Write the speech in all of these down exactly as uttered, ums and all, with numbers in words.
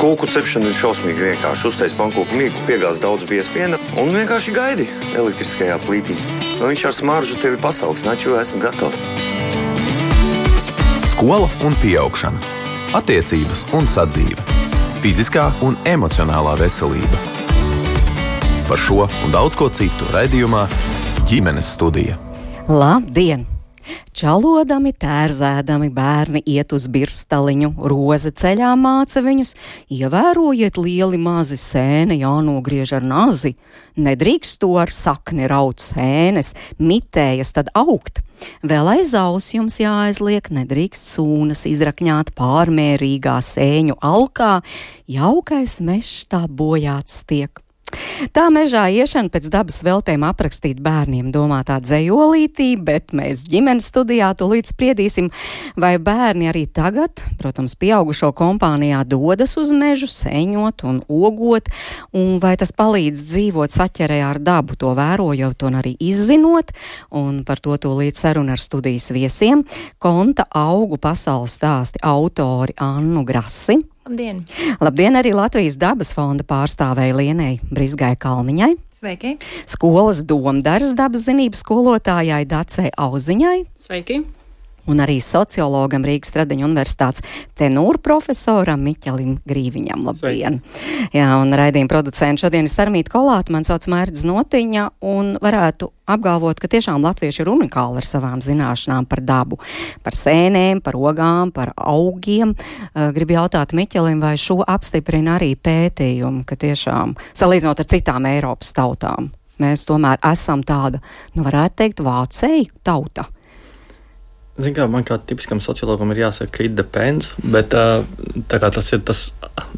Kūku cepšana ir šausmīgi vienkārši. Uztais pankūku mīklu, piegāz daudz biespiena un vienkārši gaidi elektriskajā plītī. Nu, viņš ar smaržu tevi pasauks, naču esam gatavs. Skola un pieaugšana. Attiecības un sadzīve. Fiziskā un emocionālā veselība. Par šo un daudz ko citu raidījumā Ģimenes studija. Labdien! Čalodami, tērzēdami bērni iet uz birstaliņu, roze ceļā māca viņus, ievērojiet lieli mazi sēne jānogriež ar nazi, nedrīkst to ar sakni raut sēnes, mitējas tad augt. Vēl aiz aus jums jāaizliek, nedrīkst sūnas izrakņāt pārmērīgā sēņu alkā, jaukais mežs tā bojāts tiek. Tā mežā iešana pēc dabas veltēm aprakstīt bērniem domātā dzejolītī, bet mēs ģimenes studijā tūlīt spriedīsim, vai bērni arī tagad, protams, pieaugušo kompānijā dodas uz mežu seņot un ogot, un vai tas palīdz dzīvot saķerē ar dabu, to vērojot un arī izzinot, un par to tūlīt saruna ar studijas viesiem, Konta augu pasaules stāsti autori Annu Grasi. Labdien! Labdien arī Latvijas dabas fonda pārstāvēja Lienei Brizgai Kalniņai. Sveiki! Skolas Domdaras dabas zinības skolotājai Dacei Auziņai. Sveiki! Un arī sociologam Rīgas Stradiņu universitātes tenūru profesoram Miķelim Grīviņam. Labdien! Sveiki. Jā, un raidījuma producenti šodien ir Sarmīta Kolāta, man sauc Mērķis Notiņa, un varētu apgalvot, ka tiešām latvieši ir unikāli ar savām zināšanām par dabu, par sēnēm, par ogām, par augiem. Gribu jautāt Miķelim, vai šo apstiprina arī pētījumi, ka tiešām, salīdzinot ar citām Eiropas tautām, mēs tomēr esam tāda, nu varētu teikt, vācēju tauta. Zin kā, man kā tipiskam sociologam ir jāsaka, ka it depends, bet tā kā tas ir, tas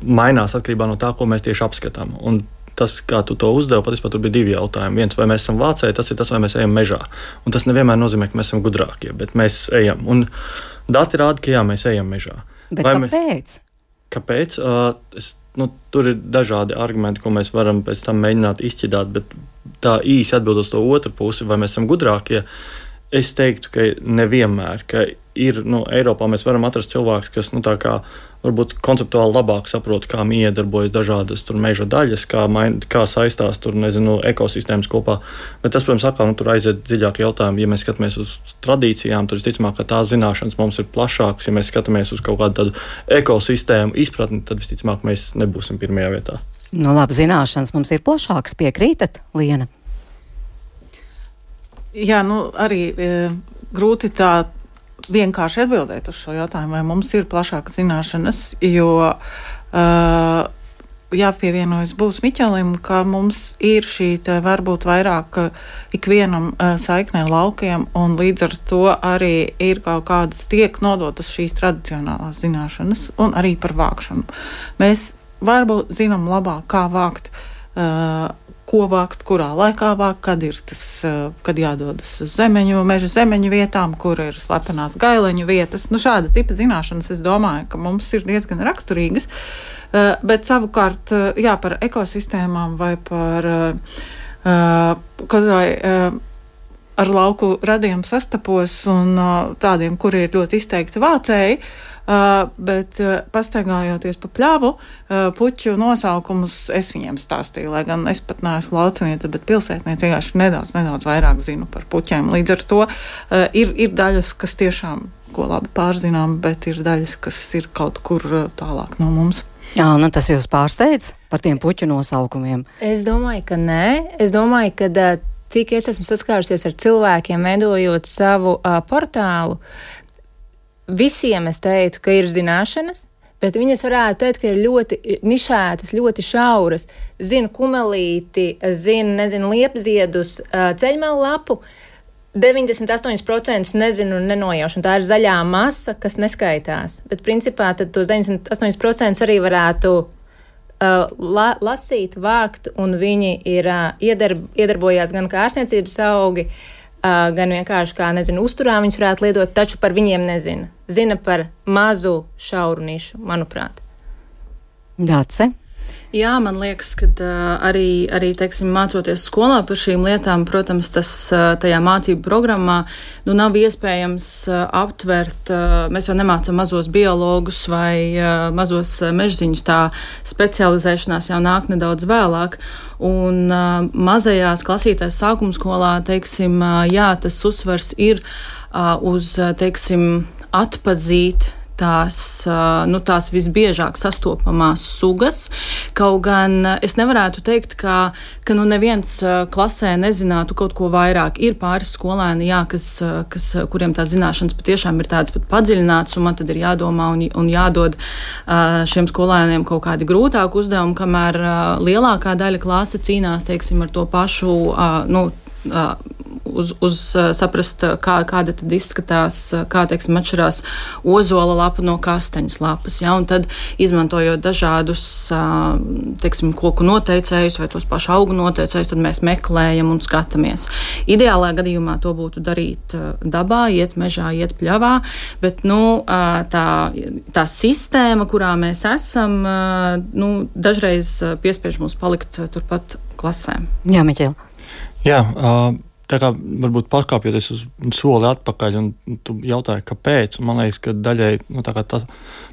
mainās atkarībā no tā, ko mēs tieši apskatām. Un tas, kā tu to uzdevi, patiesībā tur bija divi jautājumi. Viens, vai mēs esam vācēji, tas ir tas, vai mēs ejam mežā. Un tas nevienmēr nozīmē, ka mēs esam gudrākie, bet mēs ejam. Un dati rāda, ka jā, mēs ejam mežā. Bet vai kāpēc? Mēs, kāpēc? Uh, es, nu, tur ir dažādi argumenti, ko mēs varam pēc tam mēģināt izšķidāt, bet tā īsi atbildot uz to otru pusi, vai mēs esam gudrākie, es teiktu, ka nevienmēr, ka ir, nu, Eiropā mēs varam atrast cilvēkus, kas, nu, tā kā varbūt konceptuāli labāk saprot, kā iedarbojas dažādas tur meža daļas, kā, main, kā saistās tur, nezinu, ekosistēmas kopā. Bet tas, protams, atkal, nu, tur aiziet dziļāk jautājumi. Ja mēs skatāmies uz tradīcijām, tad visticamāk, ka tās zināšanas mums ir plašākas. Ja mēs skatāmies uz kaut kādu tādu ekosistēmu izpratni, tad visticamāk mēs nebūsim pirmajā vietā. Nu, labi, zināšanas mums ir plašākas, piekrītat, Liena? Jā, nu arī e, grūti tā vienkārši atbildēt uz šo jautājumu, vai mums ir plašākas zināšanas, jo e, jāpievienojas būs Miķelim, ka mums ir šī te varbūt vairāk ikvienam e, saiknē laukiem, un līdz ar to arī ir kaut kādas tiek nodotas šīs tradicionālās zināšanas, un arī par vākšanu. Mēs varbūt zinām labāk, kā vākt e, ko vākt, kurā laikā vākt, kad ir tas, kad jādodas uz zemeņu, meža zemeņu vietām, kur ir slepenās gaileņu vietas. Nu, šāda tipa zināšanas, es domāju, ka mums ir diezgan raksturīgas, bet savukārt, jā, par ekosistēmām vai par, kad vai ar lauku radiem sastapos un tādiem, kuri ir ļoti izteikti vācēji, Uh, bet uh, pastaigājoties pa pļavu, uh, puķu nosaukumus es viņiem stāstīju, lai gan es pat neesmu lauciniece, bet pilsētniece vienkārši nedaudz, nedaudz vairāk zinu par puķiem. Līdz ar to uh, ir, ir daļas, kas tiešām, ko labi pārzinām, bet ir daļas, kas ir kaut kur uh, tālāk no mums. Jā, nu tas jūs pārsteidz par tiem puķu nosaukumiem? Es domāju, ka nē. Es domāju, ka uh, cik es esmu saskārusies ar cilvēkiem, veidojot savu uh, portālu, visiem es teiktu, ka ir zināšanas, bet viņas varētu teikt, ka ir ļoti nišētas, ļoti šauras. Zinu kumelīti, zinu, nezinu, liepziedus, ceļmelu lapu, deviņdesmit astoņi procenti nezinu un nenojaušu, un tā ir zaļā masa, kas neskaitās. Bet principā tad tos deviņdesmit astoņi procenti arī varētu uh, la, lasīt, vākt, un viņi ir uh, iedarb, iedarbojās gan kā ārstniecības augi, Uh, gan vienkārši kā, nezinu, uzturā viņus varētu lietot, taču par viņiem nezina. Zina par mazu šauru nišu, manuprāt. Dace? Jā, man liekas, ka uh, arī, arī teiksim, mācoties skolā par šīm lietām, protams, tas uh, tajā mācību programmā nu, nav iespējams uh, aptvert. Uh, mēs jau nemācām mazos biologus vai uh, mazos uh, mežziņus, tā specializēšanās jau nāk nedaudz vēlāk. Un uh, mazajās klasītēs sākuma skolā, teiksim, uh, jā, tas uzsvars ir uh, uz, teiksim, atpazīt tās, nu, tās visbiežāk sastopamās sugas. Kaut gan es nevarētu teikt, ka, ka nu, neviens klasē nezinātu kaut ko vairāk. Ir pāris skolēni, jā, kas, kas, kuriem tās zināšanas patiešām ir tādas pat padziļinātas, un man tad ir jādomā un, un jādod šiem skolēniem kaut kādi grūtāki uzdevumi, kamēr lielākā daļa klase cīnās, teiksim, ar to pašu, nu, Uz, uz saprast, kā, kāda tad izskatās, kā, teiksim, atšķirās ozola lapa no kastaņas lapas. Ja? Un tad, izmantojot dažādus, teiksim, koku noteicējus vai tos pašu augu noteicējus, tad mēs meklējam un skatāmies. Ideālā gadījumā to būtu darīt dabā, iet mežā, iet pļavā, bet, nu, tā, tā sistēma, kurā mēs esam, nu, dažreiz piespiež mums palikt turpat klasēm. Jā, Miķel. Jā, uh, tā kā varbūt pakāpjoties uz soli atpakaļ, un tu jautāji, kāpēc, un man liekas, ka daļai nu, tā kā tas,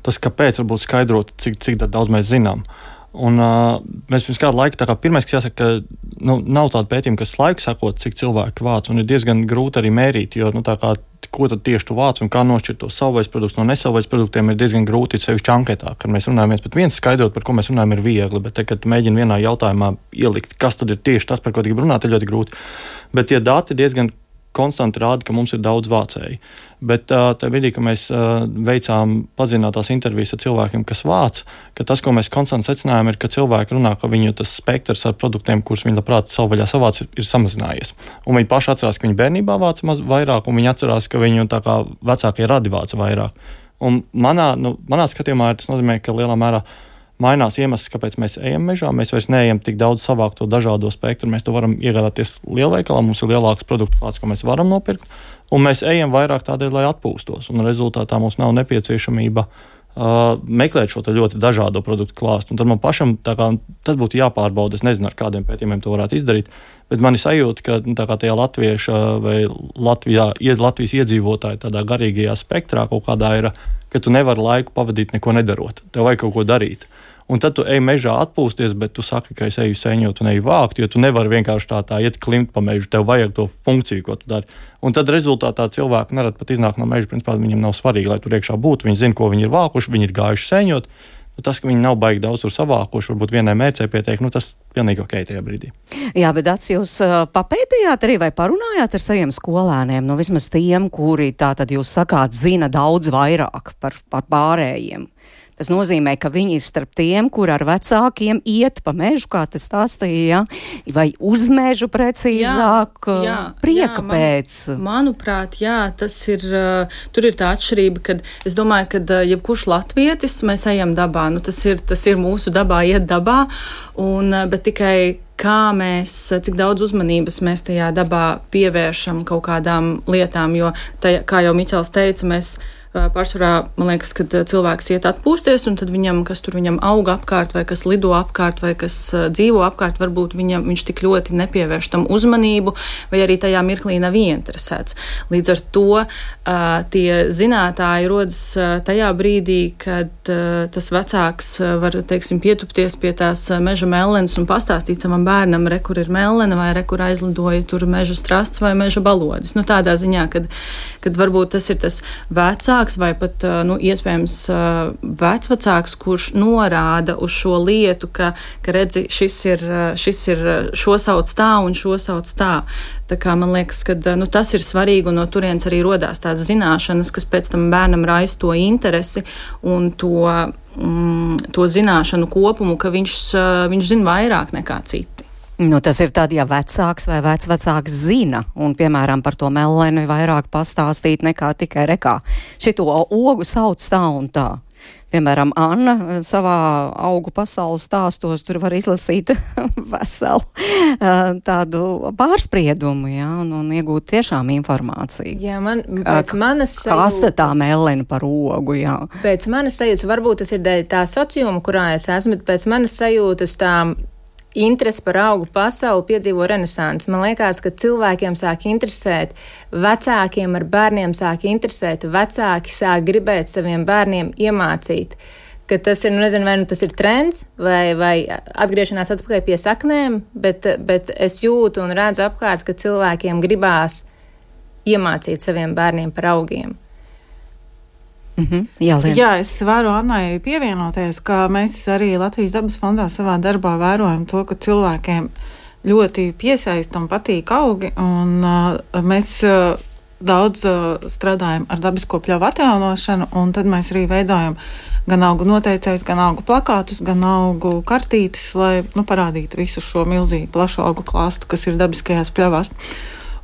tas, kāpēc varbūt skaidrot, cik, cik daudz mēs zinām. Un uh, mēs pirms kādu laiku, tā kā pirmais, kas jāsaka, ka nu, nav tāda pētījuma, kas laiku sakot, cik cilvēki vāc, un ir diezgan grūti arī mērīt, jo, nu, tā kā, ko tad tieši tu vāc un kā nošķirt tos savvaļas produktus no nesavvaļas produktiem, ir diezgan grūti, sevišķi anketā, kad mēs runājam viens pret viens, skaidrot, par ko mēs runājam, ir viegli, bet te, kad tu mēģini vienā jautājumā ielikt, kas tad ir tieši tas, par ko grib runāt, ir ļoti grūti. Bet tie dati diezgan konstanti rāda, ka mums ir daudz vācēji. Bet uh, tajā brīdī, kad mēs uh, veicām padziļinātās intervijas ar cilvēkiem, kas vāc, ka tas, ko mēs konstanti secinājām, ir, ka cilvēki runā, ka viņu tas spektrs ar produktiem, kurus viņi labprāt savvaļā savāc, ir, ir samazinājies. Un viņi paši atcerās, ka viņi bērnībā vāca maz vairāk, un viņi atcerās, ka viņu tā kā vecākie radi vāca vairāk. Un manā, nu, manā skatījumā tas nozīmē, ka lielā mērā mainās iemesls, kāpēc mēs ejam mežā. Mēs vairs neejam tik daudz savākt to dažādo spektru. Mēs to varam iegādāties lielveikalā, mums ir lielāks produktu klāts, ko mēs varam nopirkt. Un mēs ejam vairāk tādēļ, lai atpūstos. Un rezultātā mums nav nepieciešamība uh, meklēt šo ļoti dažādo produktu klāstu. Un tad man pašam tā kā, tas būtu jāpārbauda. Es nezinu, ar kādiem pētījumiem to varētu izdarīt. Bet man ir sajūta, ka nu, tā kā tajā latvieša vai Latvijā, Latvijas iedzīvotāji tādā garīgajā spektrā kaut kādā ir, ka tu nevari laiku pavadīt neko nedarot. Tev vajag kaut ko darīt. Un tad tu ej mežā atpūsties, bet tu saki, ka es eju sēņot un eju vākt, jo tu nevari vienkārši tā, tā iet klimt pa mežu. Tev vajag to funkciju, ko tu dari. Un tad rezultātā cilvēki nerad pat iznāk no meža. Principā viņiem nav svarīgi, lai tur iekšā būtu. Viņi zina, ko viņi ir vākuši, viņi ir gājuši sēņot. Nu, tas, ka viņi nav baigi daudz tur savākuši, varbūt vienai mērcei pietiek, nu tas pilnīgi ok tajā brīdī. Jā, bet Ats, jūs uh, papētījāt arī vai parunājāt ar saviem skolēniem, nu vismaz tiem, kuri tā tad jūs sakāt zina daudz vairāk par, par pārējiem. Tas nozīmē, ka viņi ir starp tiem, kur ar vecākiem iet pa mežu, kā tas stāstīja, ja? Vai uz mežu precīzāk, jā, jā, prieka jā, man, pēc. Manuprāt, jā, tas ir, uh, tur ir tā atšķirība, kad es domāju, ka uh, jebkurš latvietis mēs ejam dabā, nu tas ir, tas ir mūsu dabā, iet dabā, un, uh, bet tikai kā mēs, cik daudz uzmanības mēs tajā dabā pievēršam kaut kādām lietām, jo, tajā, kā jau Miķels teica, mēs pārsvarā, man liekas, kad cilvēks iet atpūsties, un tad viņam, kas tur viņam auga apkārt, vai kas lido apkārt, vai kas dzīvo apkārt, varbūt viņam, viņš tik ļoti nepievērš tam uzmanību, vai arī tajā mirklī nav ieinteresēts. Līdz ar to uh, tie zinātāji rodas uh, tajā brīdī, kad uh, tas vecāks uh, var, teiksim, pietupties pie tās uh, meža mellenes un pastāstīt savam bērnam, re, kur ir mellene, vai re, kur aizlidoja tur meža strasts vai meža balodis. Nu, tādā ziņā, kad, kad varbūt tas ir tas vecāks, vai pat, nu, iespējams vecvecāks, kurš norāda uz šo lietu, ka, ka redzi, šis ir, šis ir, šo sauc tā un šo sauc tā. Tā kā man liekas, ka, nu, tas ir svarīgi, un no turienes arī rodās tās zināšanas, kas pēc tam bērnam raisa to interesi un to, mm, to zināšanu kopumu, ka viņš, viņš zina vairāk nekā citi. Nu, tas ir tad, ja vecāks vai vecvecāks zina, un, piemēram, par to melleni vairāk pastāstīt nekā tikai rekā. Šito ogu sauc tā un tā. Piemēram, Anna savā augu pasaules stāstos tur var izlasīt veselu tādu pārspriedumu, jā, un, un iegūt tiešām informāciju. Jā, man, pēc manas sajūtas... Kas te tā melena par ogu, jā? Pēc manas sajūtas, varbūt tas ir dēļ tā sociuma, kurā es esmu, bet pēc manas sajūtas tā interesi par augu pasauli piedzīvo renesansi. Man liekas, ka cilvēkiem sāk interesēt, vecākiem ar bērniem sāk interesēt, vecāki sāk gribēt saviem bērniem iemācīt, ka tas ir, nu nezinu, vai nu tas ir trends, vai, vai atgriešanās atpakaļ pie saknēm, bet, bet es jūtu un redzu apkārt, ka cilvēkiem gribās iemācīt saviem bērniem par augiem. Mm-hmm. Jā, Lien. Jā, es varu Annai pievienoties, ka mēs arī Latvijas dabas fondā savā darbā vērojam to, ka cilvēkiem ļoti piesaista un patīk augi, un uh, mēs uh, daudz uh, strādājam ar dabisko pļavu atjaunošanu, un tad mēs arī veidojam gan augu noteicējus, gan augu plakātus, gan augu kartītes, lai nu, parādītu visu šo milzīgu plašu augu klāstu, kas ir dabiskajās pļavās.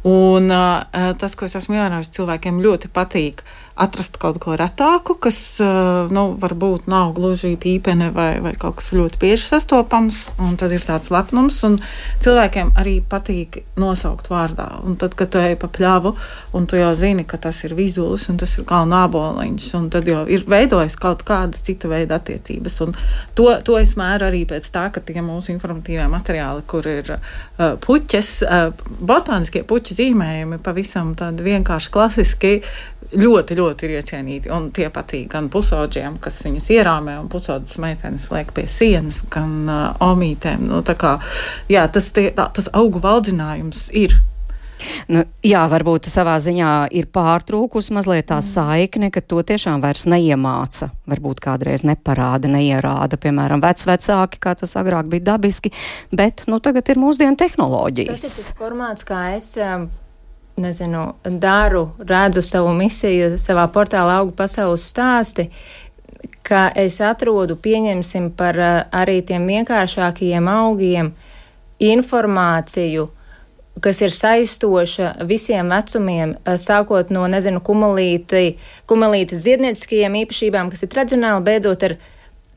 Un uh, tas, ko es esmu ievērojis, cilvēkiem ļoti patīk atrast kaut ko retāku, kas uh, nu, varbūt nav gluži pīpene vai, vai kaut kas ļoti bieži sastopams, un tad ir tāds lepnums, un cilvēkiem arī patīk nosaukt vārdā. Un tad, kad tu ej pa pļavu, un tu jau zini, ka tas ir vizulis, un tas ir galvenā āboliņš, un tad jau ir veidojis kaut kādas cita veida attiecības. Un to, to es mēru arī pēc tā, ka tie mūsu informatīvie materiāli, kur ir uh, puķes, uh, botāniskie puķu zīmējumi, pavisam tādi vienkārši klasiski, ļoti, ļoti ir iecienīti, un tie patīk gan pusauģiem, kas viņus ierāmē, un pusaudzes meitenes liek pie sienas, gan uh, omītēm. Nu, tā kā, jā, tas, tie, tā, tas augu valdzinājums ir. Nu, jā, varbūt savā ziņā ir pārtrūkus mazliet tā saikne, ka to tiešām vairs neiemāca, varbūt kādreiz neparāda, neierāda, piemēram, vecvecāki, kā tas agrāk bija dabiski, bet, nu, tagad ir mūsdienu tehnoloģijas. Tas ir tas formāts, kā es... Um, nezinu, daru, redzu savu misiju savā portālā Augu pasaules stāsti, ka es atrodu, pieņemsim par arī tiem vienkāršākajiem augiem informāciju, kas ir saistoša visiem vecumiem, sākot no, nezinu, kumelīti, kumelītes dziednieciskajiem īpašībām, kas ir tradicionāli, beidzot ar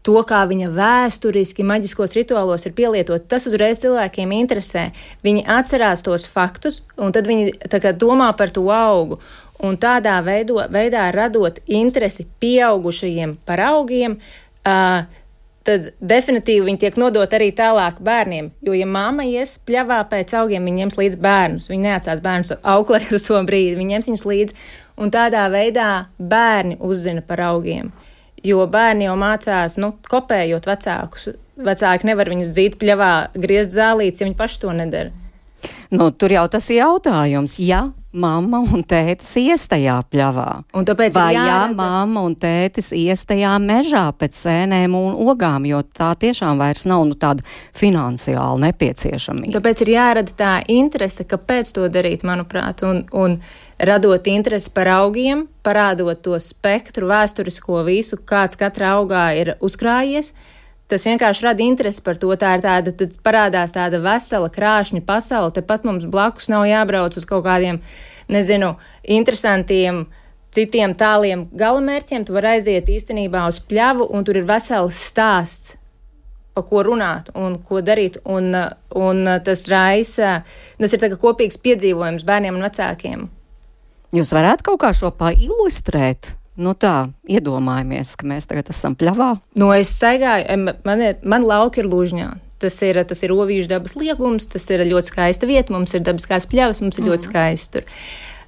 to, kā viņa vēsturiski maģiskos rituālos ir pielietot, tas uzreiz cilvēkiem interesē. Viņi atcerās tos faktus, un tad viņi tā kā domā par to augu. Un tādā veido, veidā radot interesi pieaugušajiem par augiem, uh, tad definitīvi viņi tiek nodot arī tālāk bērniem. Jo, ja mamma ies pļavā pēc augiem, viņi ņems līdz bērnus. Viņi neatstās bērnus auklē uz to brīdi, viņi ņems viņus līdzi. Un tādā veidā bērni uzzina par augiem. Jo bērni jau mācās, nu, kopējot vecākus. Vecāki nevar viņus dzīt pļavā, griezt zālītes, ja viņi paši to nedara. Nu, tur jau tas ir jautājums, ja mamma un tētis ies tajā pļavā. Un tāpēc vai jārada... ja mamma un tētis ies tajā mežā pēc sēnēm un ogām, jo tā tiešām vairs nav nu, tāda finansiāla nepieciešamība. Tāpēc ir jārada tā interese, kāpēc to darīt, manuprāt, un, un radot interesi par augiem, parādot to spektru, vēsturisko visu, kāds katrā augā ir uzkrājies. Tas vienkārši rada interesi par to. Tā ir tāda, tad parādās tāda vesela krāšņa pasaule. Tepat mums blakus nav jābrauc uz kaut kādiem, nezinu, interesantiem, citiem tāliem galamērķiem. Tu vari aiziet īstenībā uz pļavu, un tur ir vesels stāsts, pa ko runāt un ko darīt. Un, un tas raisa, tas ir tā kā kopīgs piedzīvojums bērniem un vecākiem. Jūs varētu kaut kā šo pailustrēt? Nu tā, iedomājamies, ka mēs tagad esam pļavā. Nu, es staigāju, man, man lauki ir Lužņā. Tas ir, tas ir Ovīžu dabas liegums, tas ir ļoti skaista vieta, mums ir dabiskās pļavas, mums ir mm. ļoti skaisti tur.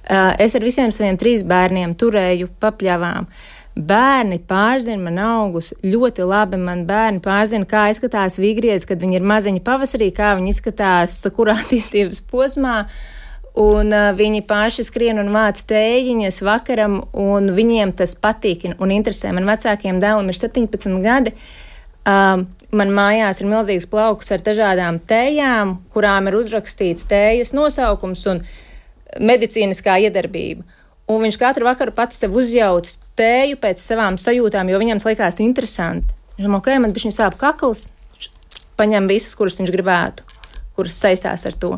Uh, es ar visiem saviem trīs bērniem turēju pa pļavām. Bērni pārzina man augus ļoti labi, man bērni pārzina, kā izskatās vīgriezi, kad viņi ir maziņi pavasarī, kā viņi izskatās kurā attīstības posmā. Un uh, viņi paši skrien un vāc tējiņas vakaram, un viņiem tas patīk un interesē. Man vecākiem dēlam ir septiņpadsmit gadi. Um, man mājās ir milzīgs plauks ar dažādām tējām, kurām ir uzrakstīts tējas nosaukums un medicīniskā iedarbība. Un viņš katru vakaru pats sev uzjauc tēju pēc savām sajūtām, jo viņam likās interesanti. Viņš domā, ok, man bišķiņ sāp kakls, paņem visas, kuras viņš gribētu, kuras saistās ar to.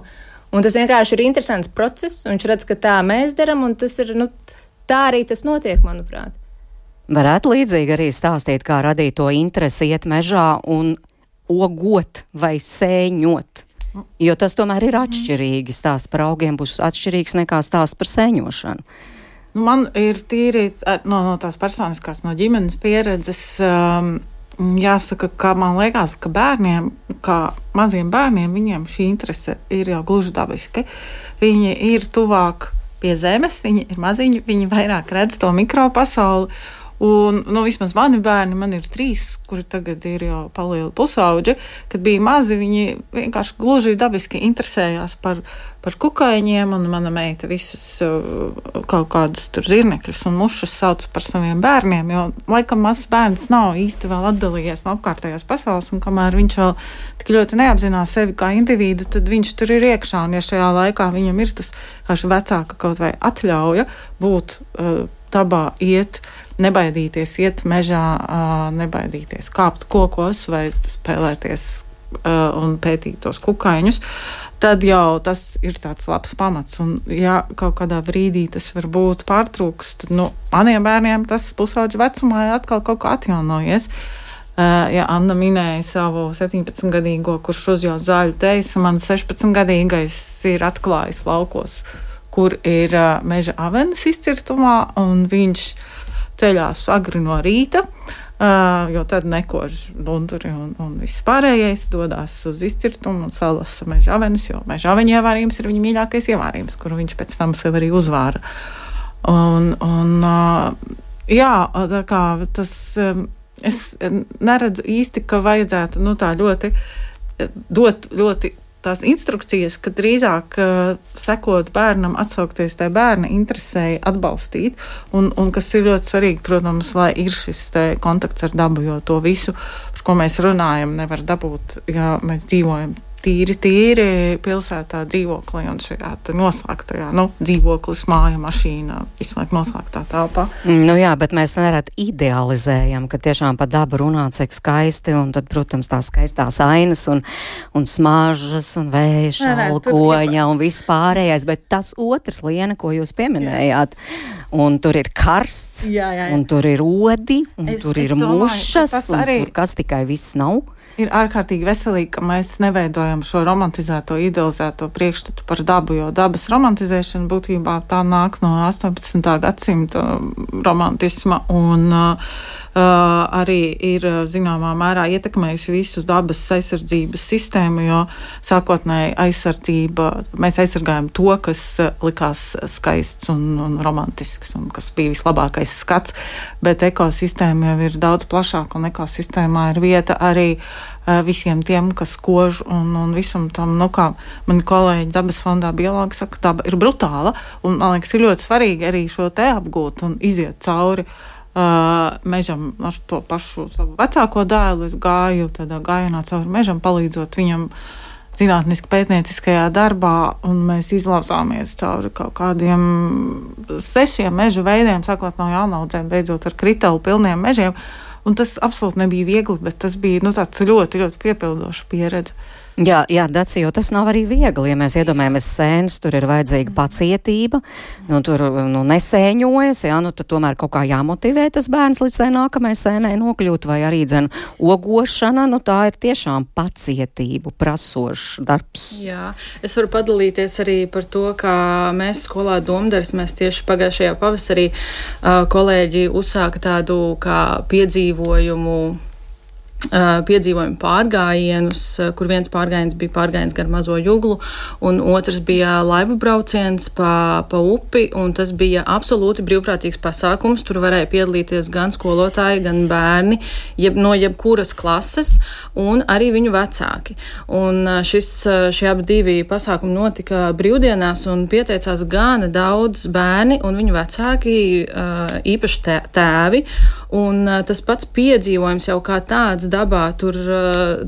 Un tas vienkārši ir interesants process, un viņš redz, ka tā mēs daram, un tas ir, nu, tā arī tas notiek, manuprāt. Varētu līdzīgi arī stāstīt, kā radīt to interesi iet mežā un ogot vai sēņot. Jo tas tomēr ir atšķirīgi. Stāsts par augiem būs atšķirīgs nekā stāsts par sēņošanu. Man ir tīri no, no tās personiskās, no ģimenes pieredzes, um, jāsaka, ka man liekas, ka bērniem, kā maziem bērniem, viņiem šī interese ir jau gluži dabiski. Viņi ir tuvāk pie zemes, viņi ir maziņi, viņi vairāk redz to mikropasauli. Un, nu, vismaz mani bērni, man ir trīs, kuri tagad ir jau palieli pusauģi, kad bija mazi, viņi vienkārši gluži dabiski interesējās par, par kukaiņiem, un mana meita visus kaut kādas tur zirnekļus un mušas sauc par saviem bērniem, jo laikam mazs bērns nav īsti vēl atdalījies no apkārtējās pasaules, un kamēr viņš vēl tik ļoti neapzinās sevi kā individu, tad viņš tur ir iekšā, un ja šajā laikā viņam ir tas kāši vecāka kaut vai atļauja būt uh, dabā, iet, nebaidīties iet mežā, nebaidīties kāpt kokos vai spēlēties un pētīt tos kukaiņus, tad jau tas ir tāds labs pamats. Un ja kaut kādā brīdī tas varbūt pārtrūks, tad nu, maniem bērniem tas pusauģu vecumā ir atkal kaut kā atjaunojies. Ja Anna minēja savu septiņpadsmitgadīgo, kurš uzjauc zāļu teisa, man sešpadsmitgadīgais ir atklājis laukos, kur ir meža avenes izcirtumā, un viņš ceļās agri no rīta, uh, jo tad nekož lunduri un, un viss pārējais dodās uz izcirtumu un salasa meža avenes, jo meža aveņu ievārījums ir viņa mīļākais ievārījums, kuru viņš pēc tam sev arī uzvāra. Un, un uh, jā, tā kā tas, um, es neredzu īsti, ka vajadzētu, nu tā ļoti, dot ļoti tās instrukcijas, ka drīzāk uh, sekot bērnam, atsaukties tai bērna interesēji, atbalstīt, un, un kas ir ļoti svarīgi, protams, lai ir šis te kontakts ar dabu, jo to visu, par ko mēs runājam, nevar dabūt, ja mēs dzīvojam tīri, tīri pilsētā dzīvoklī un šajā noslēgtajā, nu, dzīvoklis, māja, mašīna, visu laiku noslēgtā telpā. Nu jā, bet mēs nerad idealizējam, ka tiešām pa dabu runā, cik skaisti, un tad, protams, tās skaistās ainas un, un smaržas un vēja, alkoņa un viss pārējais, bet tas otrs liena, ko jūs pieminējāt, un tur ir karsts, jā, jā, jā. Un tur ir odi, un es, tur ir domāju, mušas, un arī... tur kas tikai viss nav. Ir ārkārtīgi veselīgi, ka mēs neveidojam šo romantizēto, idealizēto priekšstatu par dabu, jo dabas romantizēšana būtībā tā nāk no astoņpadsmitā gadsimta romantisma un uh, arī ir zināmā mērā ietekmējusi visu dabas aizsardzības sistēmu, jo sākotnēji aizsardzība, mēs aizsargājam to, kas likās skaists un, un romantisks un kas bija vislabākais skats, bet ekosistēma jau ir daudz plašāka un ekosistēmā ir vieta arī visiem tiem, kas kož un, un visam tam, nu kā mani kolēģi dabas fondā biologi saka, daba ir brutāla, un man liekas, ir ļoti svarīgi arī šo te apgūt un iziet cauri uh, mežam ar to pašu savu vecāko dēlu. Es gāju tādā gājienā cauri mežam, palīdzot viņam zinātniski pētnieciskajā darbā, un mēs izlauzāmies cauri kaut kādiem sešiem mežu veidiem, sākot no jaunaudzēm, beidzot ar kritalu pilniem mežiem. Un tas absolūti nebija viegli, bet tas bija nu, tāds ļoti, ļoti piepildoša pieredze. Jā, jā, Daci, jo tas nav arī viegli, ja mēs iedomājamies sēnes, tur ir vajadzīga pacietība, nu tur nu, nesēņojas, jā, nu tad tomēr kaut kā jāmotivē tas bērns līdz tai nākamajai sēnai nokļūt, vai arī dzen ogošana, nu tā ir tiešām pacietību prasošs darbs. Jā, es varu padalīties arī par to, kā mēs skolā Domdaris, mēs tieši pagājušajā pavasarī uh, kolēģi uzsāka tādu kā piedzīvojumu piedzīvojumu pārgājienus, kur viens pārgājiens bija pārgājiens gar Mazo Juglu, un otrs bija laivu brauciens pa, pa upi, un tas bija absolūti brīvprātīgs pasākums. Tur varēja piedalīties gan skolotāji, gan bērni, jeb, no jebkuras klases, un arī viņu vecāki. Un šis, šie abi divi pasākumi notika brīvdienās, un pieteicās gana daudz bērni un viņu vecāki, īpaši tēvi, un tas pats piedzīvojums jau kā tāds dabā, tur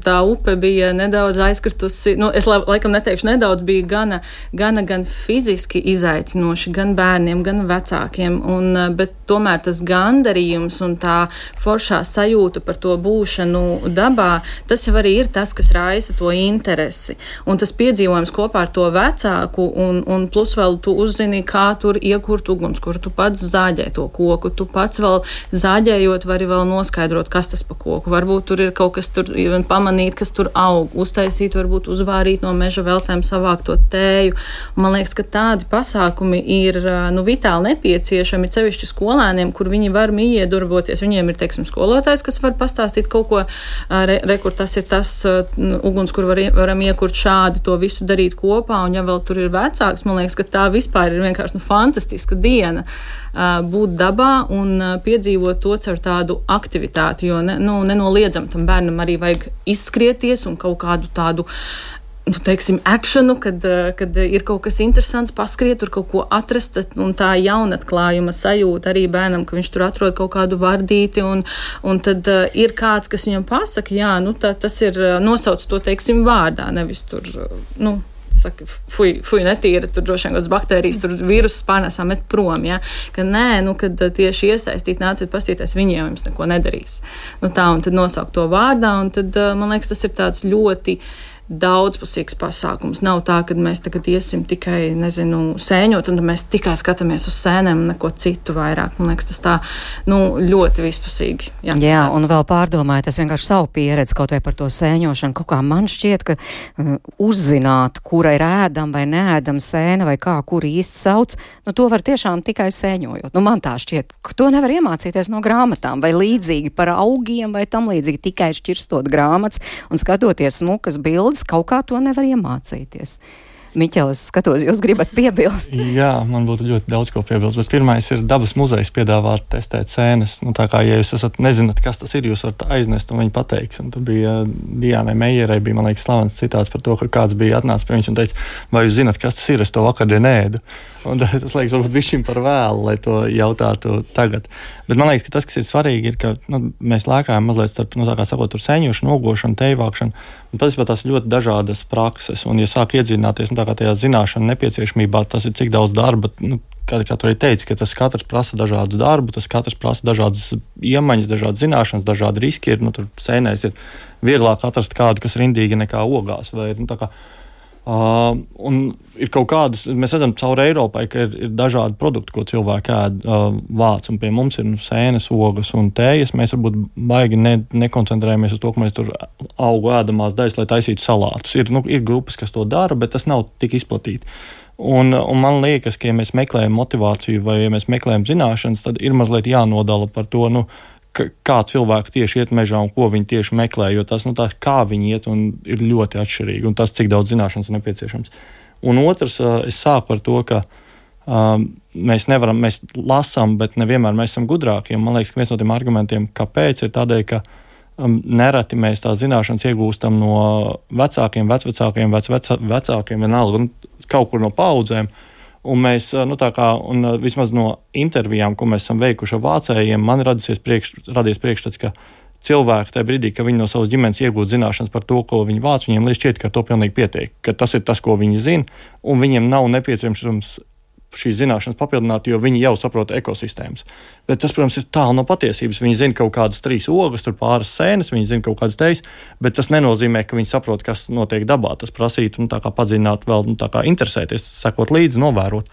tā upe bija nedaudz aizkritusi, nu, es laikam neteikšu nedaudz, bija gana, gana gan fiziski izaicinoši, gan bērniem, gan vecākiem, un, bet tomēr tas gandarījums un tā foršā sajūta par to būšanu dabā, tas jau arī ir tas, kas raisa to interesi. Un tas piedzīvojums kopā ar to vecāku, un, un plus vēl tu uzzini, kā tur iekurt ugunskura, tu pats zāģē to koku, tu pats vēl zāģējot vari vēl noskaidrot, kas tas pa koku. Varbūt tur ir kaut kas tur, pamanīt, kas tur aug, uztaisīt, varbūt uzvārīt no meža veltēm, savākt to tēju. Man liekas, ka tādi pasākumi ir, nu, vitāli nepieciešami, cevišķi skolēniem, kur viņi var iedarboties. Viņiem ir, teiksim, skolotājs, kas var pastāstīt kaut ko, re, re kur tas ir tas uguns, kur var, varam iekurt šādi, to visu darīt kopā, un ja vēl tur ir vecāks, man liekas, ka tā vispār ir vienkārši, nu, fantastiska diena būt dabā un piedzīvot to caur tādu aktivitāti, jo ne, nu, nenoliedzam tam bērnam arī vajag izskrieties un kaut kādu tādu, nu, teiksim, akšanu, kad, kad ir kaut kas interesants, paskriet, tur kaut ko atrast, un tā jaunatklājuma sajūta arī bērnam, ka viņš tur atrod kaut kādu vardīti, un, un tad uh, ir kāds, kas viņam pasaka, jā, nu, tā, tas ir, nosauc to, teiksim, vārdā, nevis tur, nu, saka, fuj, fuj, netīra, tur droši vien kādas baktērijas, tur vīrusus pārnēsām met prom, ja? Ka nē, nu, kad tieši iesaistīt, nāciet pastīties, viņi jau jums neko nedarīs. Nu tā, un tad nosaukt to vārdā, un tad, man liekas, tas ir tāds ļoti daudzpusīgs pasākums. Nav tā, ka mēs tagad iesim tikai, nezinu, sēņot, un mēs tikai skatāmies uz sēnēm un neko citu vairāk. Man liekas, tas tā, nu, ļoti vispusīgi. Jāskatās. Jā, un vēl pārdomājiet, es vienkārši savu pieredzi kaut vai par to sēņošanu. Kaut kā man šķiet, ka uh, uzzināt, kura ir ēdama vai neēdama sēna vai kā, kura īsti sauc, nu, to var tiešām tikai sēņojot. Nu, man tā šķiet, ka to nevar iemācīties no grāmatām vai līdzīgi par augiem vai tam līdzīgi tikai šķirstot grāmatas un skatoties smukas bildes. Kaut kā to nevar iemācīties. Miķel, es skatos, jūs gribat piebilst? Jā, man būtu ļoti daudz ko piebilst, bet pirmais ir dabas muzejs piedāvāt testēt sēnes. Nu, tā kā, ja jūs esat nezināt, kas tas ir, jūs varat aiznest un viņi pateiks. Un tur bija Diānai Meijerai, bija, man liekas, slavens citāts par to, ka kāds bija atnācis pie viņš un teica, vai jūs zināt, kas tas ir, es to vakardien ēdu. Un tas liekas, varbūt bišķiņ par vēlu, lai to jautātu tagad. Bet man liekas, ka tas, kas ir svarīgi, ir, ka nu, mēs lēkājam mazliet starp, nu, tā kā sakot, tur sēņošanu, ogošanu, tejvākšanu. Un patiesībā tās ļoti dažādas prakses. Un, ja sāk iedzināties, nu, tā kā tajā zināšana nepieciešamībā, tas ir cik daudz darba, nu, kā, kā tu arī teici, ka tas katrs prasa dažādu darbu, tas katrs prasa dažādas iemaņas, dažādas zināšanas, dažādi riski ir. Nu, tur sēnēs ir vieglāk atrast kādu, kas rindīgi nekā ogās. Vai, nu, tā kā, Uh, un ir kaut kādas, mēs redzam caur Eiropai, ka ir, ir dažādi produkti, ko cilvēki ēd uh, vāc, un pie mums ir nu, sēnes, ogas un tējas. Mēs varbūt baigi ne, nekoncentrējamies uz to, ka mēs tur augu ēdamās daļas, lai taisītu salātus. Ir, nu, ir grupas, kas to dara, bet tas nav tik izplatīti. Un, un man liekas, ka ja mēs meklējam motivāciju vai ja mēs meklējam zināšanas, tad ir mazliet jānodala par to, nu, kā cilvēki tieši iet mežā un ko viņi tieši meklē, jo tas, nu tā, kā viņi iet, un ir ļoti atšķirīgi, un tas, cik daudz zināšanas ir nepieciešams. Un otrs, es sāku ar to, ka um, mēs nevaram, mēs lasām, bet nevienmēr mēs esam gudrāki, un man liekas, ka viens no tiem argumentiem, kāpēc, ir tādēļ, ka um, nereti mēs tās zināšanas iegūstam no vecākiem, vecvecākiem, vec, vec, vecākiem, vienalga, un kaut kur no paudzēm. Un mēs, nu tā kā, un vismaz no intervijām, ko mēs esam veikuši ar vācējiem, man radies priekš, radies priekšstats, ka cilvēki tajā brīdī, ka viņi no savas ģimenes iegūt zināšanas par to, ko viņi vāc, viņiem liekas šķiet, ka to pilnīgi pietiek, ka tas ir tas, ko viņi zina, un viņiem nav nepieciešams šīs zināšanas papildināt, jo viņi jau saprot ekosistēmas. Bet tas, protams, ir tālu no patiesības. Viņi zina kaut kādas trīs ogas, tur pāris sēnes, viņi zina kaut kādas tejas, bet tas nenozīmē, ka viņi saprot, kas notiek dabā. Tas prasītu, nu, tā kā padzināt vēl, nu, tā kā interesēties, sekot līdzi, novērot.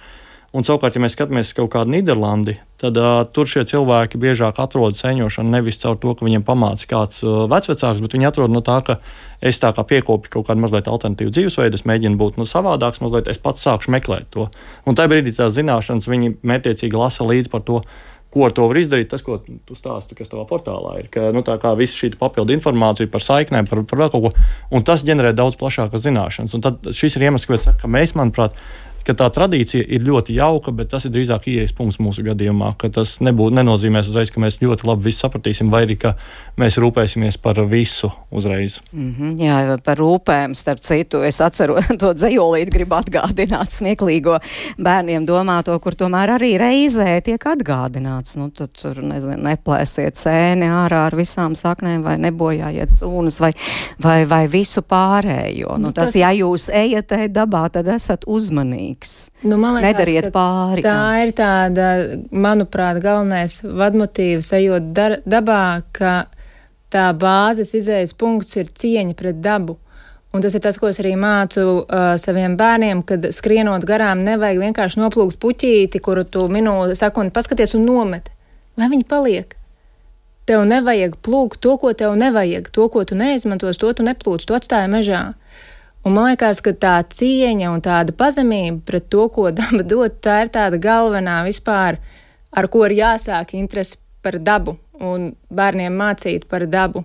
Un savukārt, ja mēs skatāmies kaut kādu Nīderlandi, tad uh, tur šie cilvēki biežāk atrod sēņošanu nevis caur to, ka viņiem pamāca kāds uh, vecvecāks, bet viņi atrod no tā, ka es tā kā piekopju kaut kādu mazliet alternatīvu dzīvesveidu, es mēģinu būt nu, savādāks, mazliet es pats sākšu meklēt to. Un tajā brīdī tās zināšanas viņi mērķiecīgi lasa līdz par to, ko ar to var izdarīt, tas, ko tu stāsti, kas tavā portālā ir. Ka, nu, tā kā visa šī papildu informācija par saiknēm, par, par vēl kaut ko, un tas ģenerē daudz plašākas zināšanas. Un tad šis ir iemesls, kāpēc, ka mēs, manuprāt, ka tā tradīcija ir ļoti jauka, bet tas ir drīzāk ieejas punkts mūsu gadījumā, ka tas nebūtu nenozīmēs uzreiz, ka mēs ļoti labi visu sapratīsim, vai arī, ka mēs rūpēsimies par visu uzreiz. Mm-hmm, jā, par rūpēm, starp citu, es atceru to dzejolīti, gribu atgādināt smieklīgo bērniem domāto, kur tomēr arī reizē tiek atgādināts. Nu, tad tur, nezinu, neplēsiet sēni ārā ar visām saknēm, vai nebojājiet sūnas, vai, vai, vai visu pārējo. Nu, tas, tas, ja jūs ejat dabā, tad esat uzmanīgs. Nu, man liekas, nedariet pāri. Tā jā. Ir tāda, manuprāt, galvenais vadmotīvs ejot dar, dabā, ka tā bāzes izējas punkts ir cieņa pret dabu. Un tas ir tas, ko es arī mācu uh, saviem bērniem, kad skrienot garām nevajag vienkārši noplūkt puķīti, kuru tu minūti sekundi paskaties un nomet. Lai viņi paliek. Tev nevajag plūkt to, ko tev nevajag. To, ko tu neizmantos, to tu neplūc, to atstāja mežā. Un man liekas, ka tā cieņa un tāda pazemība pret to, ko daba dod, tā ir tāda galvenā vispār, ar ko ir jāsāk interesi par dabu un bērniem mācīt par dabu.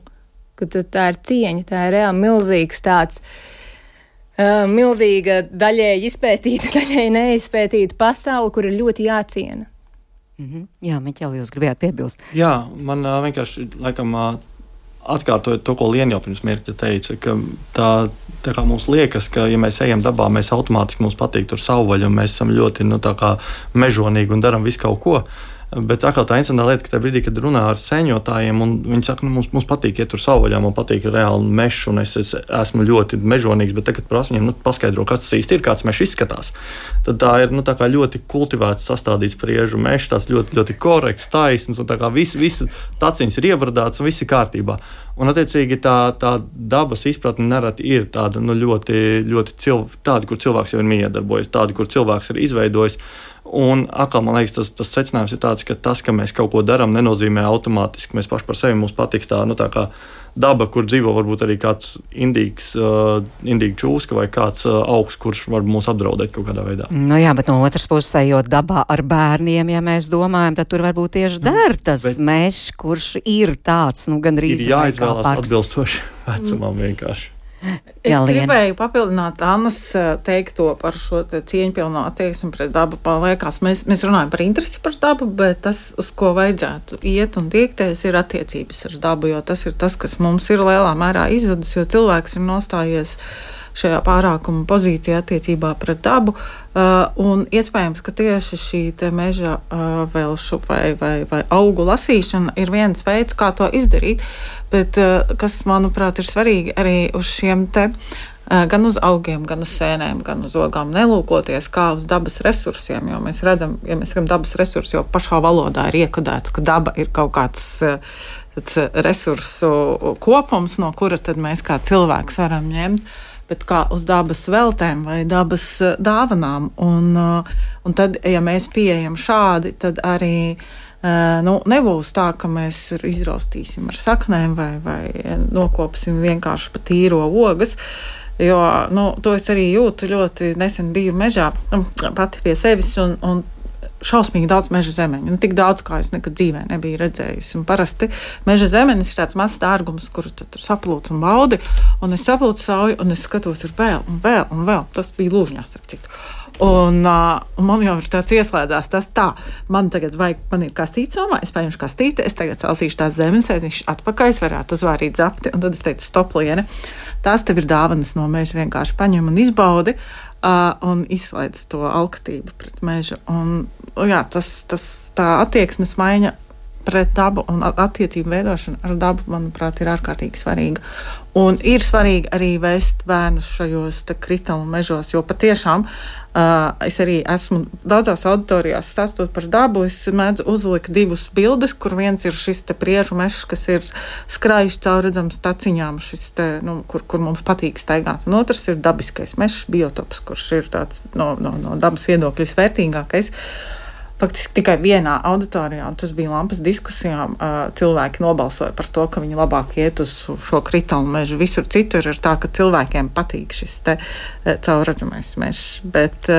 Ka tā ir cieņa, tā ir reāli milzīgs tāds, uh, milzīga daļēji izpētīta, daļēji neizpētīta pasaule, kur ir ļoti jāciena. Mm-hmm. Jā, Miķeli, jūs gribējāt piebilst? Jā, man uh, vienkārši, laikam, uh, atkārtojot to, ko Liena jau pirms mirkļa teica, ka tā, tā kā mums liekas, ka, ja mēs ejam dabā, mēs automātiski mums patīk tur savvaļa, un mēs esam ļoti, nu, tā kā mežonīgi un daram visu kaut ko. Bet atkal tā interesantā lieta, ka tajā brīdī, kad runā ar sēņotājiem, un viņi saka, nu, mums, mums patīk iet tur savvaļā, man patīk reāli mešs, un es, es esmu ļoti mežonīgs, bet tagad prasa viņiem, nu, paskaidro, kas tas īsti ir, kāds mešs izskatās. Tad tā ir, nu, tā kā ļoti kultivēts, sastādīts priežu mešs, tāds ļoti, ļoti korekts, taisns, un tā kā visi, visi taciņas ir ievardāts un viss ir kārtībā. Un, attiecīgi, tā, tā dabas izpratne nereti ir tāda, nu, ļoti, ļoti cilv, tāda, kur cilvēks jau ir miedarbojies, tāda, kur cilvēks ir izveidojis. Un atkal, man liekas, tas, tas secinājums ir tāds, ka tas, ka mēs kaut ko darām, nenozīmē automātiski. Mēs paši par sevi mums patiks tā, nu, tā kā daba, kur dzīvo varbūt arī kāds indīgs, uh, indīga čūska vai kāds uh, augs, kurš var mūs apdraudēt kaut kādā veidā. Nu jā, bet no otras puses, ejot dabā ar bērniem, ja mēs domājam, tad tur varbūt tieši der tas bet mešs, kurš ir tāds, nu, gandrīz ir jāizvēlās atbilstoši vecumam vienkārši. Es Jā, gribēju papildināt Annas teikto par šo te cieņpilno attieksmi pret dabu. Liekas, mēs, mēs runājam par interesi par dabu, bet tas, uz ko vajadzētu iet un tiekties, ir attiecības ar dabu, jo tas ir tas, kas mums ir lielā mērā izzudis, jo cilvēks ir nostājies šajā pārākuma pozīcijā attiecībā pret dabu, uh, un iespējams, ka tieši šī te meža uh, velšu vai, vai, vai augu lasīšana ir viens veids, kā to izdarīt, bet uh, kas, manuprāt, ir svarīgi arī uz šiem te, uh, gan uz augiem, gan uz sēnēm, gan uz ogām nelūkoties kā uz dabas resursiem, jo mēs redzam, ja mēs sakam dabas resursi, jo pašā valodā ir iekodēts, ka daba ir kaut kāds uh, resursu kopums, no kura tad mēs kā cilvēks varam ņemt, bet kā uz dabas veltēm vai dabas dāvanām. Un, un tad, ja mēs pieejam šādi, tad arī nu, nebūs tā, ka mēs izraustīsim ar saknēm vai, vai nokopsim vienkārši pa tīro ogas, jo nu, to es arī jūtu ļoti nesen biju mežā pati pie sevis un, un šausmīgi daudz meža zemeņu. Nu, tik daudz, kā es nekad dzīvē nebiju redzējusi. Un parasti meža zemenis ir tāds mazs dārgums, kuru tu tur saplūc un baudi, un es saplūcu sauju, un es skatos ir vēl, un vēl, un vēl. Tas bija Lūžņās, starp citu. Un, uh, un man jau ir tāds ieslēdzās, tas tā, man tagad vajag, man ir kastīte somā, es paņemšu kastīti, es tagad salsīšu tās zemes, es atpakaļ, es varētu uzvārīt zapti, un tad es teicu, stop, Liene, tās tev ir dāvanas no meža, vienkārši paņem un izbaudi, Uh, un izslēdz to alkatību pret mežu. Un, jā, tas, tas, tā attieksmes maiņa pret dabu un attiecību veidošana ar dabu, manuprāt, ir ārkārtīgi svarīga. Un ir svarīgi arī vēst bērnus šajos kritumu mežos, jo patiešām uh, es arī esmu daudzās auditorijās stāstot par dabu, es mēdzu uzlikt divus bildes, kur viens ir šis te priežu mežs, kas ir skraiši caurredzams taciņām, šis te, nu, kur, kur mums patīk staigāt. Un otrs ir dabiskais mežs, biotops, kurš ir tāds no, no, no dabas viedokļa visvērtīgākais. Faktiski tikai vienā auditorijā, un tas bija lampas diskusijām, cilvēki nobalsoja par to, ka viņi labāk iet uz šo kritumu mežu. Visur citur ir tā, ka cilvēkiem patīk šis te caurredzamais mežs, bet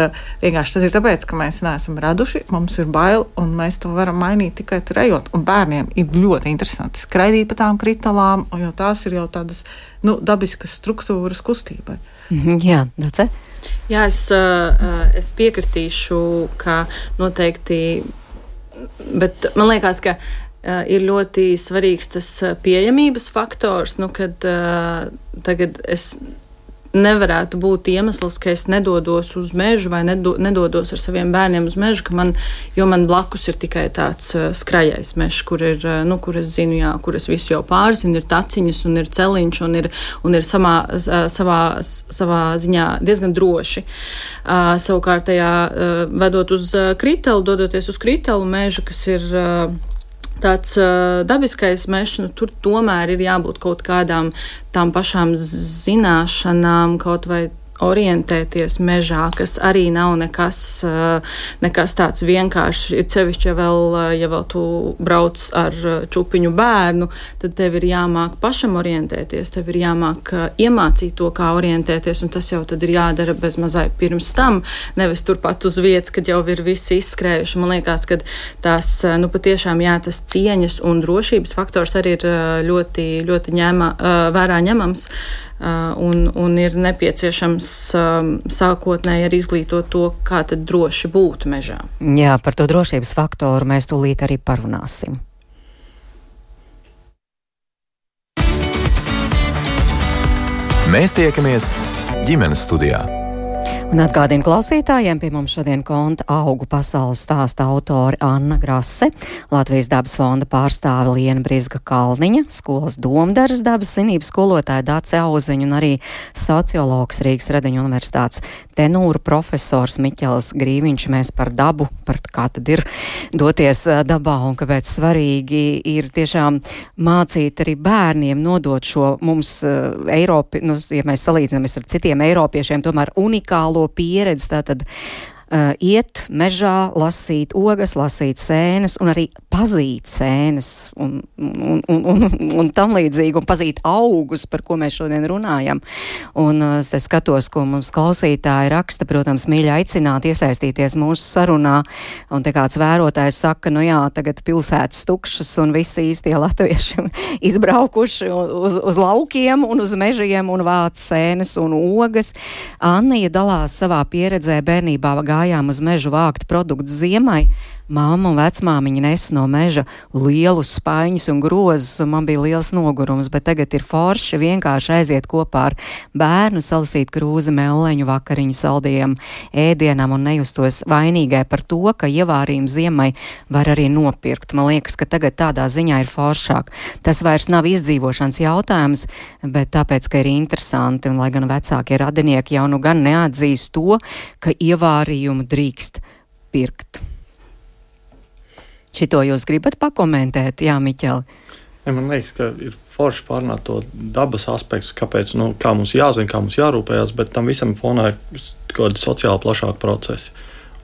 vienkārši tas ir tāpēc, ka mēs neesam raduši, mums ir bail, un mēs to varam mainīt tikai tur ejot. Un bērniem ir ļoti interesanti skraidīt pa tām kritalām, jo tās ir jau tādas, nu, dabiskas struktūras kustībai. Jā, Dace? Jā, es, es piekritīšu, ka noteikti, bet man liekas, ka ir ļoti svarīgs tas pieejamības faktors, nu, kad tagad es nevarētu būt iemesls, ka es nedodos uz mežu vai nedo, nedodos ar saviem bērniem uz mežu, ka man, jo man blakus ir tikai tāds uh, skrajais mežs, kur ir, uh, nu, kur es zinu, jā, kur es visu jau pārzinu, ir taciņas un ir celiņš un ir, un ir samā, uh, savā, savā ziņā diezgan droši. Uh, savukārt tajā uh, vedot uz uh, Kritelu, dodoties uz Kritelu mežu, kas ir uh, tāds uh, dabiskais mežs, nu, tur tomēr ir jābūt kaut kādām tām pašām zināšanām, kaut vai orientēties mežā, kas arī nav nekas, uh, nekas tāds vienkārši. Ir sevišķi, ja vēl, ja vēl tu brauc ar čupiņu bērnu, tad tev ir jāmāk pašam orientēties, tev ir jāmāk uh, iemācīt to, kā orientēties, un tas jau tad ir jādara bez mazai pirms tam, nevis turpat uz vietas, kad jau ir visi izskrējuši. Man liekas, ka tās, nu, patiešām jā, tas cieņas un drošības faktors arī ir ļoti, ļoti ņēma, uh, vērā ņemams. Uh, un, un ir nepieciešams um, sākotnēji arī izglītot to, kā tad droši būt mežā. Jā, par to drošības faktoru mēs tūlīt arī parunāsim. Mēs tiekamies ģimenes studijā. Un atgādinu klausītājiem, pie mums šodien konta augu pasaules stāsta autori Anna Grase, Latvijas dabas fonda pārstāve Liena Brizga Kalniņa, skolas domdaras dabas zinības skolotāja Dace Auziņa un arī sociologs Rīgas Radiņu universitātes tenūra profesors Miķels Grīviņš. Mēs par dabu, par kā tad ir doties dabā un kāpēc svarīgi ir tiešām mācīt arī bērniem nodot šo mums Eiropi, nu, ja mēs salīdzinamies ar citiem eiropiešiem, tomēr unikālo pieredzi, tātad uh, iet mežā, lasīt ogas, lasīt sēnes un arī pazīt sēnes un, un, un, un, un tam līdzīgi, un pazīt augus, par ko mēs šodien runājam. Un uh, es te skatos, ko mums klausītāji raksta, protams, mīļi aicināt iesaistīties mūsu sarunā, un te kāds vērotājs saka, nu jā, tagad pilsētas tukšas un visi īstie latvieši izbraukuši uz, uz laukiem un uz mežiem un vāc sēnes un ogas. Annija dalās savā pieredzē, bērnībā gājām uz mežu vākt produktus ziemai. Māma un vecmāmiņa nes no meža lielus spaiņus un grozus, un man bija liels nogurums, bet tagad ir forši vienkārši aiziet kopā ar bērnu, salasīt krūzi melleņu vakariņu saldiem ēdienam un nejustos vainīgai par to, ka ievārījumu ziemai var arī nopirkt. Man liekas, ka tagad tādā ziņā ir foršāk. Tas vairs nav izdzīvošanas jautājums, bet tāpēc, ka ir interesanti, un lai gan vecākie radinieki jau nu gan neatzīst to, ka ievārījumu drīkst pirkt. Šito jūs gribat pakomentēt, jā, Miķeli? Ja, man liekas, ka ir forši pārnāt to dabas aspektu, kāpēc, nu, kā mums jāzina, kā mums jārūpējās, bet tam visam fonā ir kādi sociāli plašāki procesi.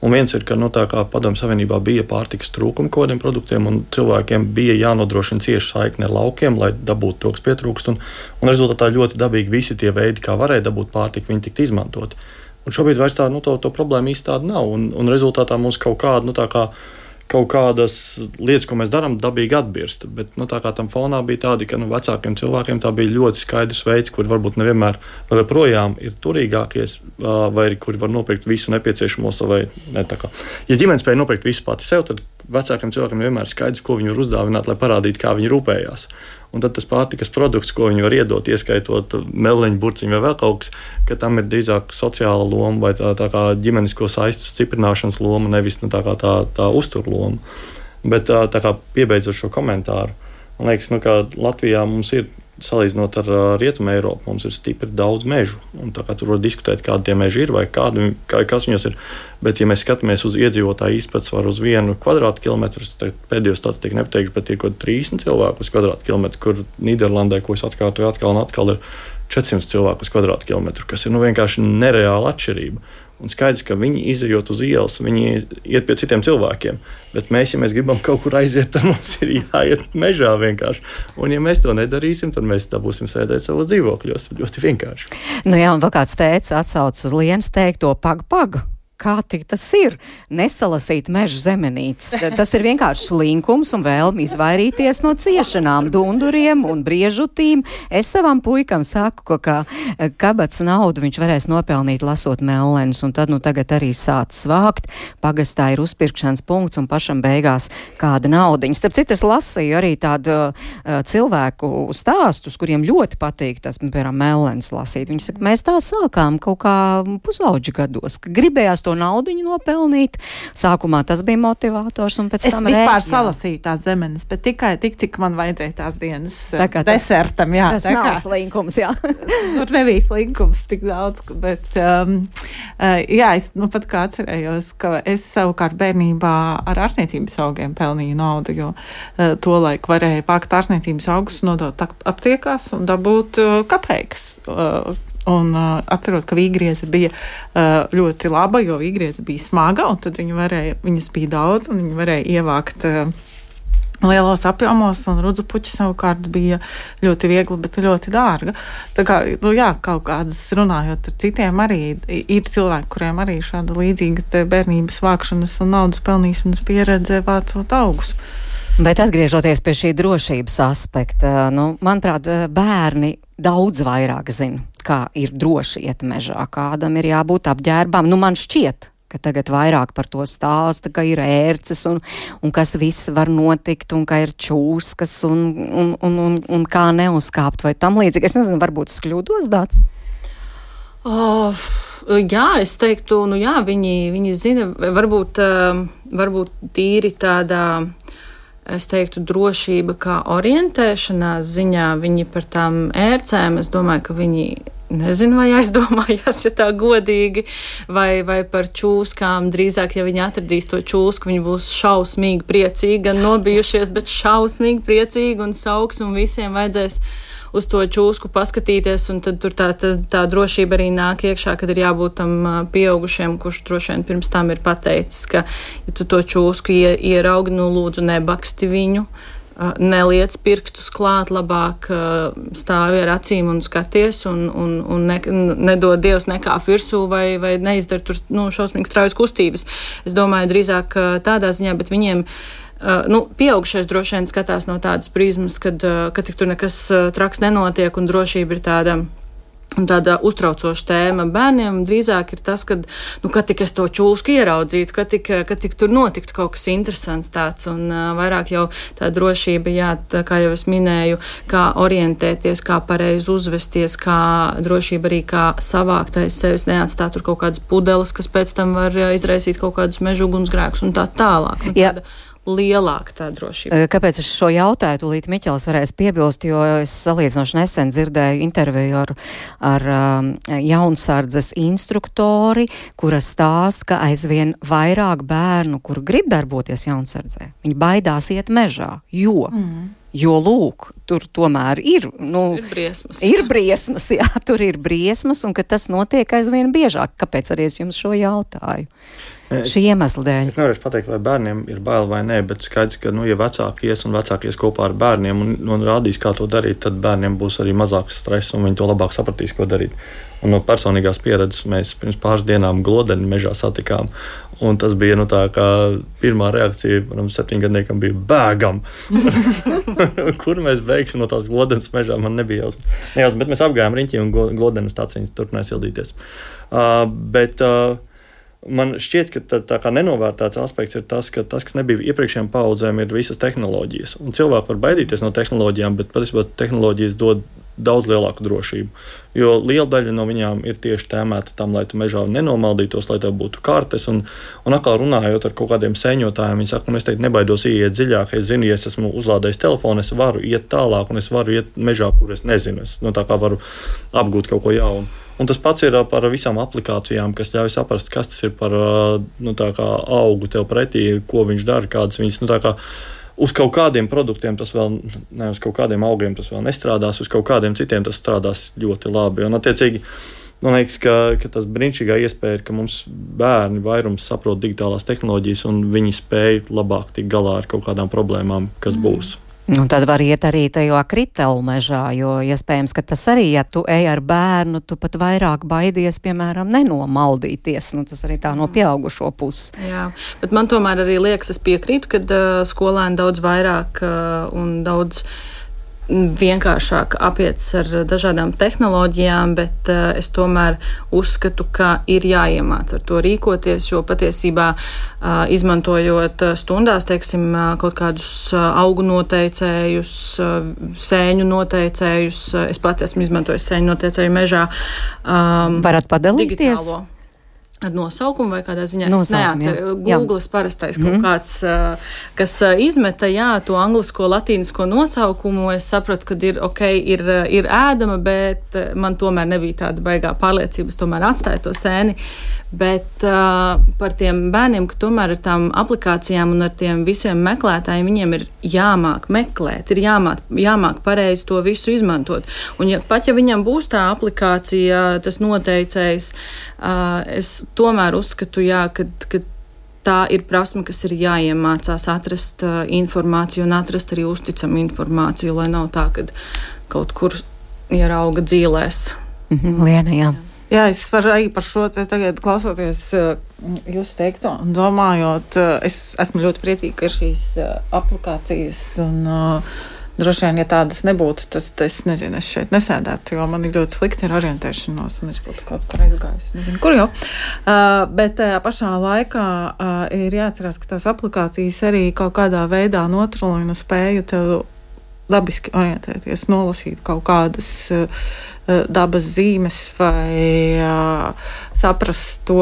Un viens ir, ka, nu, tā kā Padomju Savienībā bija pārtikas trūkuma kodiem produktiem, un cilvēkiem bija jānodrošina cieša saikne ar laukiem, lai dabūtu to, kas pietrūkst, un, un rezultātā ļoti dabīgi visi tie veidi, kā varēja dabūt pārtiku, viņi tiktu izmantoti. Un šobrīd vairs tā, nu, to, to problēma īsti tāda nav, un, un rezultātā mums kaut kāda, nu, tā kā kaut kādas lietas, ko mēs darām, dabīgi atbirst. Bet nu, tā kā tam fonā bija tādi, ka nu, vecākiem cilvēkiem tā bija ļoti skaidrs veids, kur varbūt nevienmēr vai projām ir turīgākies, vai kuri var nopirkt visu nepieciešamo savai. Ne, tā kā. Ja ģimene spēja nopirkt visu pati sev, tad vecākiem cilvēkiem vienmēr ir skaidrs, ko viņi var uzdāvināt, lai parādītu, kā viņi rūpējās. Un tad tas pārtikas produkts, ko viņi var iedot, ieskaitot melleņu, burciņu vai vēl kaut kas, ka tam ir drīzāk sociāla loma vai tā, tā kā ģimenisko saistu stiprināšanas loma, nevis nu, tā kā tā, tā uzturloma. Bet tā, tā kā piebeidzot šo komentāru, man liekas, nu, ka Latvijā mums ir, salīdzinot ar Rietumu Eiropu, mums ir stipri daudz mežu. Un tā kā tur var diskutēt, kādi tie meži ir vai kādi, kā, kas viņos ir. Bet, ja mēs skatāmies uz iedzīvotāju izpētes uz vienu kvadrātkilometru, tad pēdējos tāds tiek nepateikts, bet ir kaut trīsdesmit cilvēku uz kvadrātkilometru, kur Nīderlandē, ko es atkārtoju atkal un atkal, ir četrsimt cilvēku uz kvadrātkilometru, kas ir nu, vienkārši nereāla atšķirība. Un skaidrs, ka viņi izejot uz ielas, viņi iet pie citiem cilvēkiem. Bet mēs, ja mēs gribam kaut kur aiziet, tad mums ir jāiet mežā vienkārši. Un ja mēs to nedarīsim, tad mēs dabūsim sēdēt savos dzīvokļos. Ļoti vienkārši. Nu jā, un vēl kāds teica atsauc uz Lienas teikto pag, pag. Kā tik tas ir? Nesalasīt meža zemenītes. Tas ir vienkārši slinkums un vēlmi izvairīties no ciešanām, dunduriem un briežutīm. Es savam puikam saku, ka Kabatas naudu viņš varēs nopelnīt lasot mellenus, un tad nu tagad arī sāc svākt. Pagastā ir uzpirkšanas punkts un pašam beigās kāda naudiņa. Starp citu, es lasīju arī tādu uh, cilvēku stāstus, kuriem ļoti patīk tas, piemēram, mellenes lasīt. Viņi saka, mēs tā sākām kaut kā pusauģi gados, ka gribējās to naudiņu nopelnīt. Sākumā tas bija motivators, un pēc es tam... Es vispār rē, salasīju tās zemenes, bet tikai tik, cik man vajadzēja tās dienas tas, desertam, jā. Tas nav kā, slinkums, jā. Tur nebija slinkums tik daudz, bet, um, uh, jā, es nu pat kā atcerējos, ka es savukārt bērnībā ar ārstniecības augiem pelnīju naudu, jo uh, to laiku varēja pākt ārstniecības augus, nodot aptiekās un dabūt uh, kapeikas. Uh, Un uh, atceros, ka vīgrieze bija uh, ļoti laba, jo vīgrieze bija smaga, un tad viņi varēja, viņas bija daudz, un viņi varēja ievākt uh, lielos apjomos, un rudzupuķi savukārt bija ļoti viegli, bet ļoti dārga. Tā kā, nu jā, kaut kādas runājot ar citiem arī ir cilvēki, kuriem arī šāda līdzīga te bērnības vākšanas un naudas pelnīšanas pieredze vācot augus. Bet atgriežoties pie šī drošības aspekta, nu, manuprāt, bērni daudz vairāk zina, kā ir droši iet mežā, kādam ir jābūt apģērbām. Nu, man šķiet, ka tagad vairāk par to stāsta, ka ir ērces un, un kas viss var notikt un ka ir čūskas un, un, un, un, un kā neuzkāpt vai tam līdzīgi. Es nezinu, varbūt es kļūdos, Dāts? Oh, jā, es teiktu, nu jā, viņi, viņi zina, varbūt, varbūt tīri tādā... Es teiktu, drošība kā orientēšanās ziņā, viņi par tām ērcēm, es domāju, ka viņi nezinu, vai aizdomājās, ja tā godīgi, vai, vai par čūskām. Drīzāk, ja viņi atradīs to čūsku, viņi būs šausmīgi priecīgi, gan nobijušies, bet šausmīgi priecīgi un sauks, un visiem vajadzēs uz to čūsku paskatīties, un tad tur tā, tā, tā drošība arī nāk iekšā, kad ir jābūt tam pieaugušiem, kurš droši vien pirms tam ir pateicis, ka, ja tu to čūsku ie, ieraugi, nu lūdzu nebaksti viņu, neliec pirkstus klāt, labāk stāvi ar acīm un skaties, un, un, un ne, nedod Dievs nekāp virsū vai, vai neizdara tur nu, šausmīgi straujas kustības. Es domāju, drīzāk tādā ziņā, bet viņiem Uh, nu, pieaugušais droši vien skatās no tādas prizmas, kad, uh, kad tur nekas uh, traks nenotiek un drošība ir tāda, tāda uztraucoša tēma. Bērniem drīzāk ir tas, kad, nu, kad tik es to čūsku ieraudzītu, kad tik, kad tik tur notiktu kaut kas interesants tāds, un uh, vairāk jau tā drošība, jā, tā, kā jau es minēju, kā orientēties, kā pareizi uzvesties, kā drošība arī kā savākt aiz sevis, neatstāt tur kaut kādas pudeles, kas pēc tam var uh, izraisīt kaut kādus mežu ugunsgrēkus un tā tālāk. Un tāda, lielāka tā drošība. Kāpēc es šo jautāju, tūlīt Miķels varēs piebilst, jo es salīdzinoši nesen dzirdēju interviju ar, ar um, jaunsardzes instruktori, kura stāst, ka aizvien vairāk bērnu, kur grib darboties jaunsardzē, viņi baidās iet mežā, jo... Mm. Jo, lūk, tur tomēr ir, nu, ir briesmas. Ir briesmas, jā, tur ir briesmas, un ka tas notiek aizvien biežāk. Kāpēc arī es jums šo jautāju? Es, Šī iemesla dēļ. Es nevaru pateikt, vai bērniem ir bail vai nē, bet skaidrs, ka, nu, ja vecāki ies un vecāki ies kopā ar bērniem un, un rādīs, kā to darīt, tad bērniem būs arī mazāks stress un viņi to labāk sapratīs, ko darīt. Un no personīgās pieredzes mēs pirms pāris dienām Glodeni mežā satikām. Un tas bija nu, tā, kā pirmā reakcija, manam septiņgadniekam bija bēgam. Kur mēs beigsim no tās Glodenes mežā, man nebija jausmas. Nejausmas, bet mēs apgājām riņķi un Glodenes taciņas turpināja sildīties. Uh, bet uh, man šķiet, ka tā, tā kā nenovērtēts aspekts ir tas, ka tas, kas nebija iepriekšējām paudzēm, ir visas tehnoloģijas. Un cilvēki var baidīties no tehnoloģijām, bet patiesībā tehnoloģijas dod daudz lielāku drošību. Jo liela daļa no viņām ir tieši tēmēta tam, lai tu mežā nenomaldītos, lai tev būtu kartes. Un, un atkal runājot ar kaut kādiem sēņotājiem, viņi saka, un es teikt, nebaidos iet dziļāk. Es zinu, ja es esmu uzlādējis telefonu, es varu iet tālāk, un es varu iet mežā, kur es nezinu. Es no tā kā varu apgūt kaut ko jaunu. Un tas pats ir par visām aplikācijām, kas ļauj saprast, kas tas ir par nu, tā kā augu tev pretī, ko viņš dara, kādas viņas, nu tā kā uz kaut kādiem produktiem tas vēl, ne uz kaut kādiem augiem tas vēl nestrādās, uz kaut kādiem citiem tas strādās ļoti labi. Un, attiecīgi, man liekas, ka, ka tas brīnišķīgā iespēja ir, ka mums bērni vairums saprot digitālās tehnoloģijas un viņi spēj labāk tikt galā ar kaut kādām problēmām, kas būs. Un tad var iet arī tajā kritelu mežā, jo iespējams, ka tas arī, ja tu ej ar bērnu, tu pat vairāk baidies, piemēram, nenomaldīties. Nu, tas arī tā no pieaugušo puses. Jā, bet man tomēr arī liekas, es piekrītu, ka uh, skolēni daudz vairāk uh, un daudz vienkāršāk apietas ar dažādām tehnoloģijām, bet uh, es tomēr uzskatu, ka ir jāiemāc ar to rīkoties, jo patiesībā uh, izmantojot stundās, teiksim, uh, kaut kādus uh, augu noteicējus, uh, sēņu noteicējus, uh, es pat esmu izmantojis sēņu noteicēju mežā. Um, Varat padalīties? Digitālo. Ar nosaukumu vai kādā ziņā? Nosaukumu, es neatceru. Googles parastais kaut mm. kāds, kas izmeta, jā, to anglisko, latīnisko nosaukumu. Es sapratu, ka ir, ok, ir, ir ēdama, bet man tomēr nebija tāda baigā pārliecība. Es tomēr atstāju to sēni. Bet uh, par tiem bērniem, ka tomēr ar tām aplikācijām un ar tiem visiem meklētājiem, viņiem ir jāmāk meklēt, ir jāmāk, jāmāk pareizi to visu izmantot. Un ja, pat ja viņam būs tā aplikācija, tas noteicējs, uh, es tomēr uzskatu, jā, ka, ka tā ir prasme, kas ir jāiemācās atrast uh, informāciju un atrast arī uzticamu informāciju, lai nav tā, ka kaut kur ierauga dzīlēs. Mhm, Liena, jā. Jā, es varu arī par šo te tagad klausoties uh, jūsu teikto un domājot, uh, es esmu ļoti priecīga, ka ir šīs uh, aplikācijas un uh, droši vien, ja tādas nebūtu, tas, es nezinu, es šeit nesēdētu, jo man ir ļoti slikti ar orientēšanos un es būtu kaut kur aizgājis, nezinu, kur jau. Uh, bet tajā pašā laikā uh, ir jāatcerās, ka tās aplikācijas arī kaut kādā veidā notrulina spēju tev dabiski orientēties, nolasīt kaut kādas uh, dabas zīmes vai uh, saprast to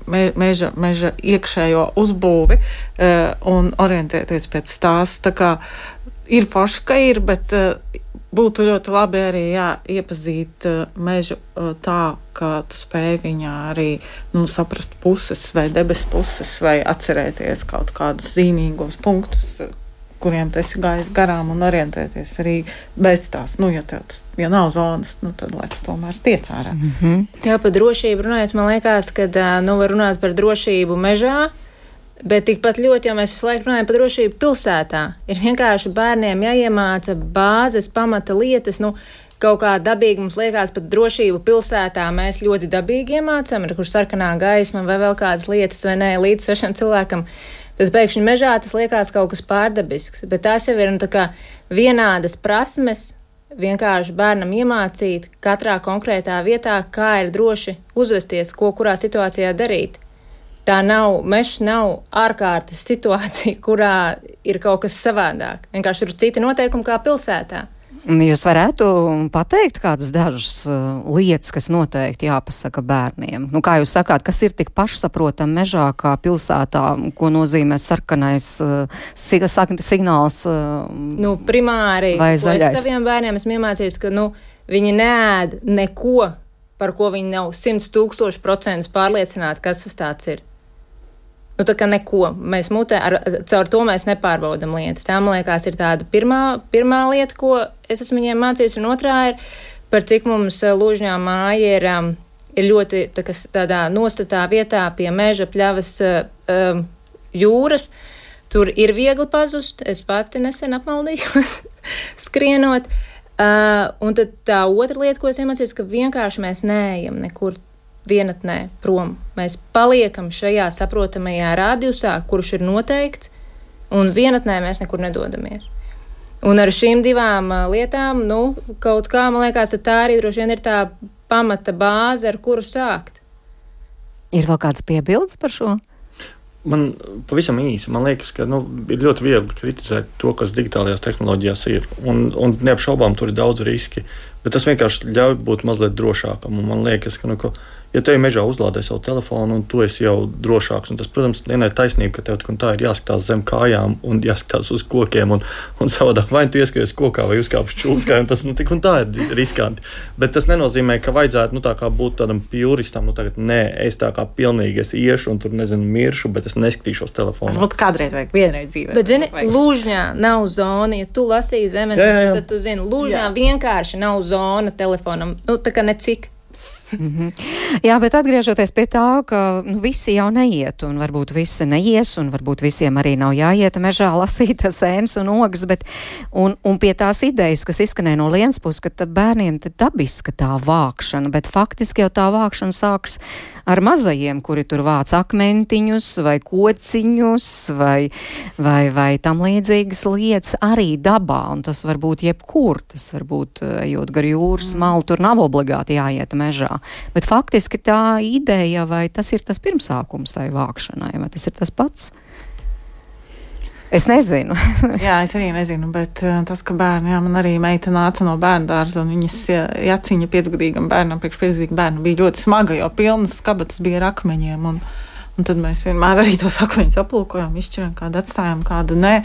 me, meža, meža iekšējo uzbūvi uh, un orientēties pēc tās. Tā kā ir forši, ka ir, bet uh, būtu ļoti labi arī jā, iepazīt uh, mežu uh, tā, ka tu spēj viņā arī nu, saprast puses vai debes puses vai atcerēties kaut kādus zīmīgos punktus, kuriem tu esi gājis garām un orientēties arī bez tās. Nu, ja tev tas, ja nav zonas, nu, tad lai tu tomēr tiec ārā. Mm-hmm. Jā, par drošību runājot, man liekas, ka, nu, var runāt par drošību mežā, bet tikpat ļoti, ja mēs visu laiku runājam par drošību pilsētā, ir vienkārši bērniem jāiemāca bāzes, pamata lietas, nu, kaut kā dabīgi mums liekas pat drošību pilsētā, mēs ļoti dabīgi iemācam, ir kur sarkanā gaisma vai vēl kādas lietas, vai nē, līdz svešam cilvēkam. Tad pēkšņi mežā tas liekas kaut kas pārdabisks, bet tās jau ir nu, tā kā vienādas prasmes, vienkārši bērnam iemācīt katrā konkrētā vietā, kā ir droši uzvesties, ko kurā situācijā darīt. Tā nav, mežs nav ārkārtas situācija, kurā ir kaut kas savādāk. Vienkārši ir citi noteikumi kā pilsētā. Jūs varētu pateikt kādas dažas uh, lietas, kas noteikti jāpasaka bērniem? Nu, kā jūs sakāt, kas ir tik pašsaprotam mežā kā pilsētā, ko nozīmē sarkanais uh, signāls uh, nu, primāri, vai zaļais? Es saviem bērniem esmu iemācījis, ka nu, viņi neēd neko, par ko viņi nav simts tūkstoši procentus pārliecināti, kas tas tāds ir. Nu, tā kā neko. Mēs mutē, ar, caur to mēs nepārbaudam lietas. Tā, man liekas, ir tāda pirmā, pirmā lieta, ko es esmu viņiem mācījis, un otrā ir, par cik mums Lūžņā māja ir, um, ir ļoti tā, kas, tādā nostatā vietā pie meža pļavas um, jūras. Tur ir viegli pazust. Es pati nesen apmaldījos skrienot. Uh, un tad tā otra lieta, ko es iemācījos, ka vienkārši mēs neejam nekur vienatnē prom. Mēs paliekam šajā saprotamajā radiusā, kurš ir noteikts, un vienatnē mēs nekur nedodamies. Un ar šīm divām lietām, nu, kaut kā, man liekas, tā arī droši vien ir tā pamata bāze, ar kuru sākt. Ir vēl kāds piebildes par šo? Man pavisam īsi, man liekas, ka nu, ir ļoti viegli kritizēt to, kas digitālajās tehnoloģijās ir. Un, un neapšaubām tur ir daudz riski, bet tas vienkārši ļauj būt mazliet drošākam. Un man liekas, ka, nu, ka ja tev mežā uzlādē savu telefonu un tu esi jau drošāks, un tas, protams, vienai taisnība, ka tev tik un tā ir jāskatās zem kājām un jāskatās uz kokiem un, un savādāk vai tu ieskaries kokā vai uzkāpš čūskai, un tas nu, tik un tā ir riskanti. Bet tas nenozīmē, ka vajadzētu nu, tā kā būt tādam pjuristam, nu tagad nē, es tā kā pilnīgi es iešu un tur, nezinu, miršu, bet es neskatīšos telefonu. Varbūt kādreiz vajag vienreiz dzīvē. Bet, zini, Lūžņā nav zona, ja tu lasīji zemes, jā, jā, jā. Tad tu zini, Lūžņā jā. Vienkārši nav zona telefonam, nu tā kā necik. Mm-hmm. Jā, bet atgriežoties pie tā, ka nu, visi jau neiet, un varbūt visi neies, un varbūt visiem arī nav jāiet mežā lasīt sēnes un ogas, bet un, un pie tās idejas, kas izskanēja no Lienas puses, ka bērniem tad dabiska tā vākšana, bet faktiski jau tā vākšana sāks ar mazajiem, kuri tur vāc akmentiņus vai kociņus vai, vai, vai tam līdzīgas lietas arī dabā, un tas var būt jebkur, tas var būt ejot gar jūras malu, tur nav obligāti jāiet mežā. Bet faktiski tā ideja, vai tas ir tas pirmsākums tai vākšanai, vai tas ir tas pats? Es nezinu. Jā, es arī nezinu, bet uh, tas, ka bērni, jā, man arī meita nāca no bērnu dārza, un viņas jaciņa piecgadīgam bērnam, priekš piecgadīgam bērnam bija ļoti smaga, jo pilnas kabatas bija ar akmeņiem, un, un tad mēs vienmēr arī tos akmeņus aplūkojām, izšķirām, kādu atstājām, kādu nē.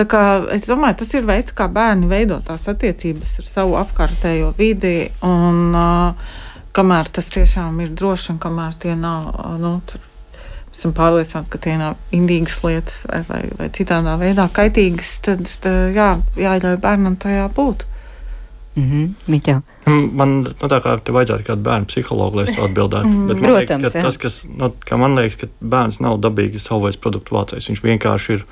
Tā kā es domāju, tas ir veids, kā bērni veido tās attiecības ar savu apkārtējo vidi, un uh, kamēr tas tiešām ir droši, un kamēr tie nav, nu, tur esam pārliecināti, ka tie nav indīgas lietas vai, vai, vai citādā veidā kaitīgas, tad, tad jā, jāļauj bērnam tajā būt. Mm-hmm. Miķa. Man, nu tā kā te vajadzētu kādu bērnu psihologu, lai es to atbildētu. Mm. Bet man Protams, liekas, ka jā. tas, kas, nu, kā man liekas, ka bērns nav dabīgi savveids produktu vācējs, viņš vienkārši ir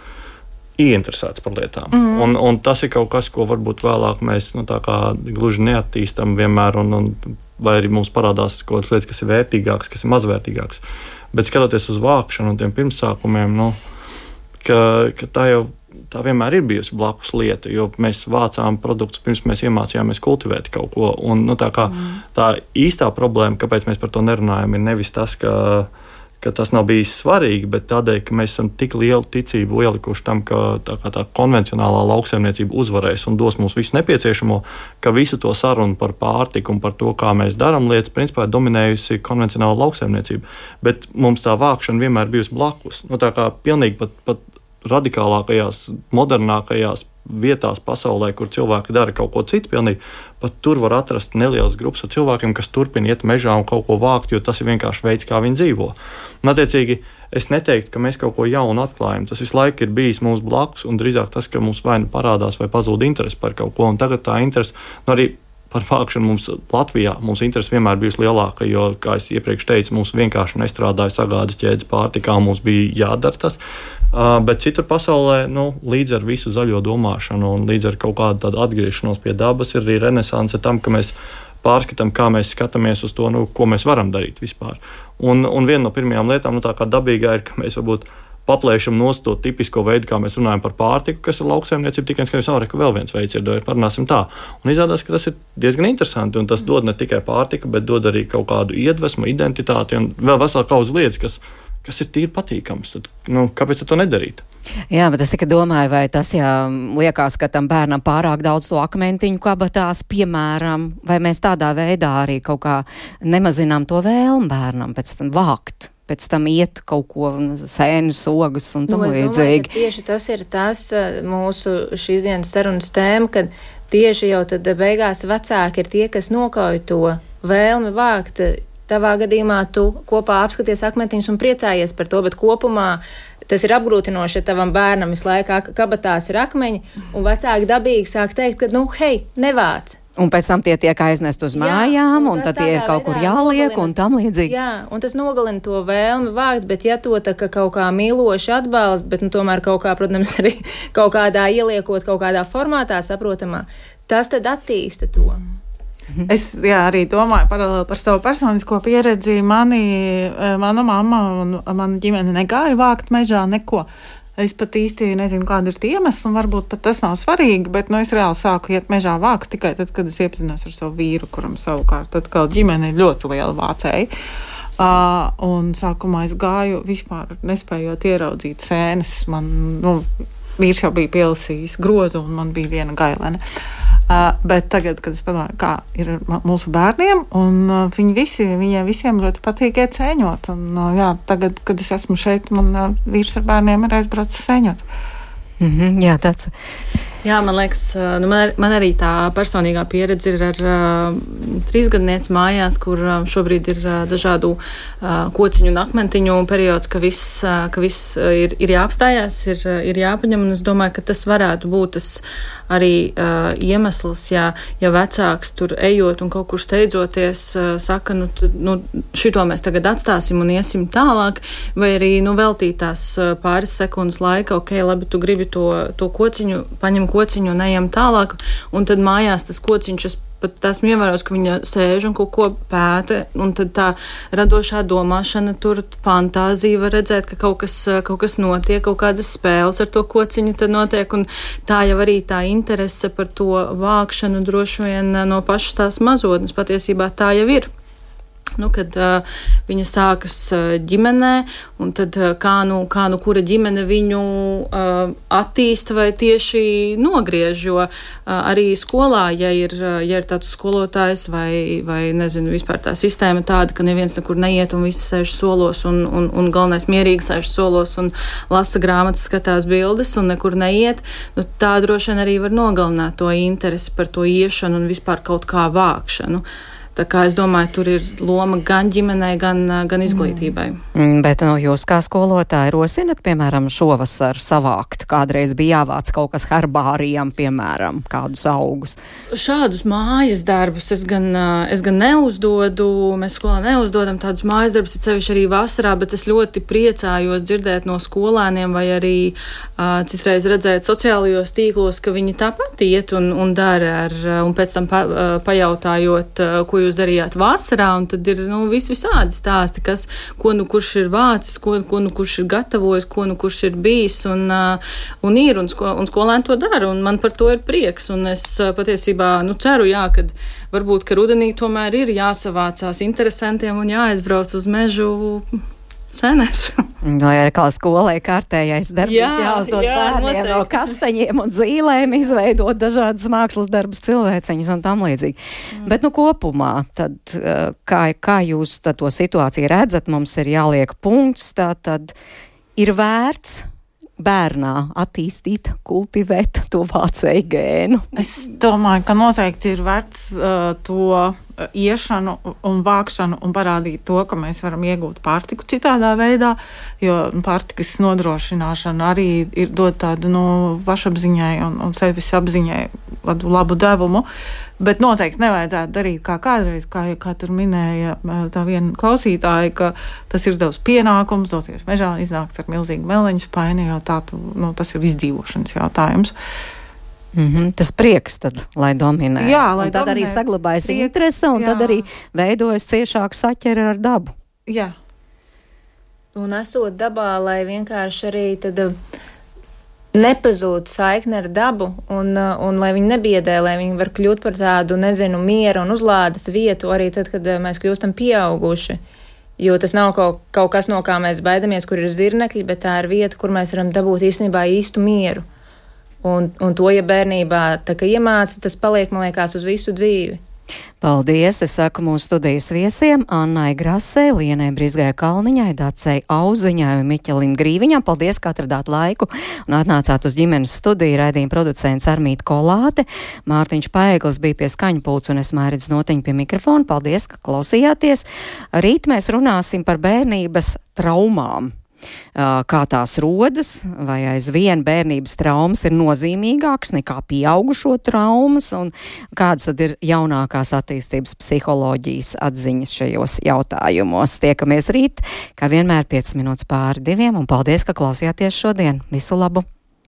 ieinteresēts par lietām. Mm. Un, un tas ir kaut kas, ko varbūt vēlāk mēs, nu tā kā gluži neattīstam vienmēr, un, un vai arī mums parādās kaut kādas lietas, kas ir vērtīgākas, kas ir mazvērtīgākas. Bet skatoties uz vākšanu un tiem pirmsākumiem, nu, ka, ka tā jau tā vienmēr ir bijusi blakus lieta, jo mēs vācām produktus pirms mēs iemācījāmies kultivēt kaut ko. Un, nu, tā, kā, mm. tā īstā problēma, kāpēc mēs par to nerunājam, ir nevis tas, ka, ka tas nav bijis svarīgi, bet tādēļ, ka mēs esam tik lielu ticību ielikuši tam, ka tā, tā konvencionālā lauksaimniecība uzvarēs un dos mums visu nepieciešamo, ka visu to sarunu par pārtiku un par to, kā mēs darām lietas, principā ir dominējusi konvencionāla lauksaimniecība. Bet mums tā vākšana vienmēr bijusi blakus. Nu, tā kā pilnīgi pat, pat radikālākajās, modernākajās vietās pasaulē, kur cilvēki dara kaut ko citu, pilnīgi, pat tur var atrast nelielas grupas ar cilvēkiem, kas turpina iet mežā un kaut ko vākt, jo tas ir vienkārši veids, kā viņi dzīvo. Un, attiecīgi, es neteiktu, ka mēs kaut ko jaunu atklājam. Tas visu laiku ir bijis mums blakus, un drīzāk tas, ka mums vai nu parādās, vai pazūd interesi par kaut ko, un tagad tā interesi, nu arī par vākšanu mums Latvijā, mums interesi vienmēr bijusi lielāka, jo, kā es iepriekš teicu, mums vienkārši nestrādāja sagādas ķēdes pārtikā, mums bija jādara tas. Uh, bet citur pasaulē, nu, līdz ar visu zaļo domāšanu un līdz ar kaut kādu tādu atgriešanos pie dabas ir arī renesanse tam, ka mēs pārskatām, kā mēs skatāmies uz to, nu, ko mēs varam darīt vispār. Un, un viena no pirmajām lietām, nu, tā kā dabīgā ir, ka mēs varbūt paplēšam nost to tipisko veidu, kā mēs runājam par pārtiku, kas ir lauksaimniecība, tikai skaidrs, ka vēl viens veids ir, parunāsim tā. Un izrādās, ka tas ir diezgan interesanti, un tas dod ne tikai pārtiku, bet dod arī kaut kādu iedvesmu, identitāti un vēl vesela kaudzes lietas, kas kas ir tīri patīkams. Tad, nu, kāpēc to nedarīt? Jā, bet es tikai domāju, vai tas, ja liekas, ka tam bērnam pārāk daudz to akmentiņu kabatās, piemēram, vai mēs tādā veidā arī kaut kā nemazinām to vēlmu bērnam pēc tam vākt, pēc tam iet kaut ko sēnes, ogas un tam nu, līdzīgi. Tieši tas ir tas mūsu šīs dienas sarunas tēma, kad tieši jau tad beigās vecāki ir tie, kas nokauj to vēlmi vākt. Tavā gadījumā tu kopā apskaties akmentiņus un priecājies par to, bet kopumā tas ir apgrūtinoši, ja tavam bērnam visu laiku kabatās ir akmeņi, un vecāki dabīgi sāk teikt, ka, nu, hei, nevāc. Un pēc tam tie tiek aiznest uz mājām, jā, un, un tad tie ir kaut kur jāliek nogalina, un tam līdzīgi. Jā, un tas nogalina to vēlmi vākt, bet ja to tā kā kaut kā mīloši atbalst, bet nu, tomēr kaut kā, protams, arī kaut kādā ieliekot, kaut kādā formātā saprotamā, tas tad attīsta to. Es jā, arī domāju paralēli par savu personisko pieredzi. Mani, mana mamma un mana ģimene negāja vākt mežā neko. Es pat īsti nezinu, kāda ir tie iemesli, un varbūt pat tas nav svarīgi, bet nu, es reāli sāku iet mežā vākt tikai tad, kad es iepazinos ar savu vīru, kuram savukārt atkal ģimene ir ļoti liela vācēja. Uh, un sākumā es gāju vispār nespējot ieraudzīt sēnes. Man, nu, vīrs jau bija pielasījis grozu, un man bija viena gailene. Uh, bet tagad, kad es padomāju, kā ir mūsu bērniem, un uh, viņi visi, viņiem visiem ļoti patīk iet sēņot. Un, uh, jā, tagad, kad es esmu šeit, man uh, vīrs ar bērniem ir aizbraucis sēņot. Mm-hmm, jā, tāds. Jā, man liekas, nu man, man arī tā personīgā pieredze ir ar uh, trīsgadnieci mājās, kur uh, šobrīd ir uh, dažādu uh, kociņu un akmentiņu periods, ka viss, uh, ka viss uh, ir, ir jāapstājās, ir, uh, ir jāpaņem, un es domāju, ka tas varētu būt tas arī uh, iemesls, ja, ja vecāks tur ejot un kaut kur steidzoties uh, saka, nu, t, nu, šito mēs tagad atstāsim un iesim tālāk, vai arī, nu, veltīt tās uh, pāris sekundes laika, ok, labi, tu gribi to, to kociņu, paņem kociņu un ejam tālāk, un tad mājās tas kociņš, es pat esmu ievērojis, ka viņa sēž un kaut ko pēta, un tad tā radošā domāšana, tur fantāzija var redzēt, ka kaut kas, kaut kas notiek, kaut kādas spēles ar to kociņu tad notiek, un tā jau arī tā interese par to vākšanu droši vien no pašas tās mazotnes patiesībā tā jau ir. Nu, kad uh, viņa sākas uh, ģimenē, un tad uh, kā, nu, kā nu kura ģimene viņu uh, attīsta vai tieši nogriež, jo uh, arī skolā, ja ir, uh, ja ir tāds skolotājs vai, vai, nezinu, vispār tā sistēma tāda, ka neviens nekur neiet un visi sēž solos un, un, un galvenais mierīgi sēž solos un lasa grāmatas, skatās bildes un nekur neiet, nu, tā droši vien arī var nogalināt to interesi par to iešanu un vispār kaut kā vākšanu. Tā kā es domāju, tur ir loma gan ģimenei, gan, gan izglītībai. Mm, bet no jūs kā skolotāji rosinat, piemēram, šovasar savākt? Kādreiz bija jāvāc kaut kas herbārijam, piemēram, kādus augus? Šādus mājas darbus es gan, es gan neuzdodu, mēs skolā neuzdodam tādus mājas darbus, ir sevišķi arī vasarā, bet es ļoti priecājos dzirdēt no skolēniem vai arī uh, citreiz redzēt sociālajos tīklos, ka viņi tāpat iet un, un dara ar, un pēc tam pa, uh, pajautājot, uh, ko jūs jūs darījāt vasarā, un tad ir, nu, vis visādi stāsti, kas, ko nu kurš ir vācis, ko, ko nu kurš ir gatavojis, ko nu kurš ir bijis, un, uh, un ir, un, sko, un skolēni to dara, un man par to ir prieks, un es uh, patiesībā, nu, ceru, jā, kad varbūt, ka rudenī tomēr ir jāsavācās interesantiem un jāaizbrauc uz mežu senēs. Vai arī kā skolai kārtējais darbs jāuzdod jā, bērniem noteikti. No kastaņiem un zīlēm, izveidot dažādas mākslas darbus, cilvēciņas un tam līdzīgi. Mm. Bet nu kopumā, tad kā, kā jūs tad to situāciju redzat, mums ir jāliek punkts, tā tad ir vērts bērnā attīstīt, kultivēt to vācēju gēnu? Es domāju, ka noteikti ir vērts uh, to iešanu un vākšanu un parādīt to, ka mēs varam iegūt pārtiku citādā veidā, jo pārtikas nodrošināšana arī ir dot tādu no pašapziņai un, un sevis apziņai labu, labu devumu, bet noteikti nevajadzētu darīt kā kādreiz, kā, kā tur minēja tā viena klausītāja, ka tas ir tavs pienākums doties mežā, iznākt ar milzīgu meleņu spaini, jo tā, tu, nu, tas ir izdzīvošanas jautājums. Mm-hmm. Tas prieks tad, lai dominē. Jā, lai un tad dominē. Arī saglabājas prieks, interese, un jā. Tad arī veidojas ciešāk saķeri ar dabu. Jā. Un esot dabā, lai vienkārši arī tad nepazūd saikne ar dabu, un, un lai viņi nebiedē, lai viņi var kļūt par tādu, nezinu, miera un uzlādes vietu arī tad, kad mēs kļūstam pieauguši. Jo tas nav kaut, kaut kas, no kā mēs baidamies, kur ir zirnekļi, bet tā ir vieta, kur mēs varam dabūt īstenībā īstu mieru. Un, un to, ja bērnībā tā kā iemāca, tas paliek, man liekas, uz visu dzīvi. Paldies! Es saku mūsu studijas viesiem Annai Grasē, Lienai Brizgai Kalniņai, Dacei Auziņai un Miķelim Grīviņam. Paldies, ka atradāt laiku un atnācāt uz ģimenes studiju. Raidījuma producents Armīta Kolāte, Mārtiņš Paeglis bija pie skaņu pults un es Mairidz Notiņa pie mikrofona. Paldies, ka klausījāties. Rīt mēs runāsim par bērnības traumām. Kā tās rodas, vai aizvien bērnības traumas ir nozīmīgākas nekā pieaugušo traumas, un kādas tad ir jaunākās attīstības psiholoģijas atziņas šajos jautājumos. Tiekamies rīt, kā vienmēr piecas minūtes pāri diviem, un paldies, ka klausījāties šodien. Visu labu!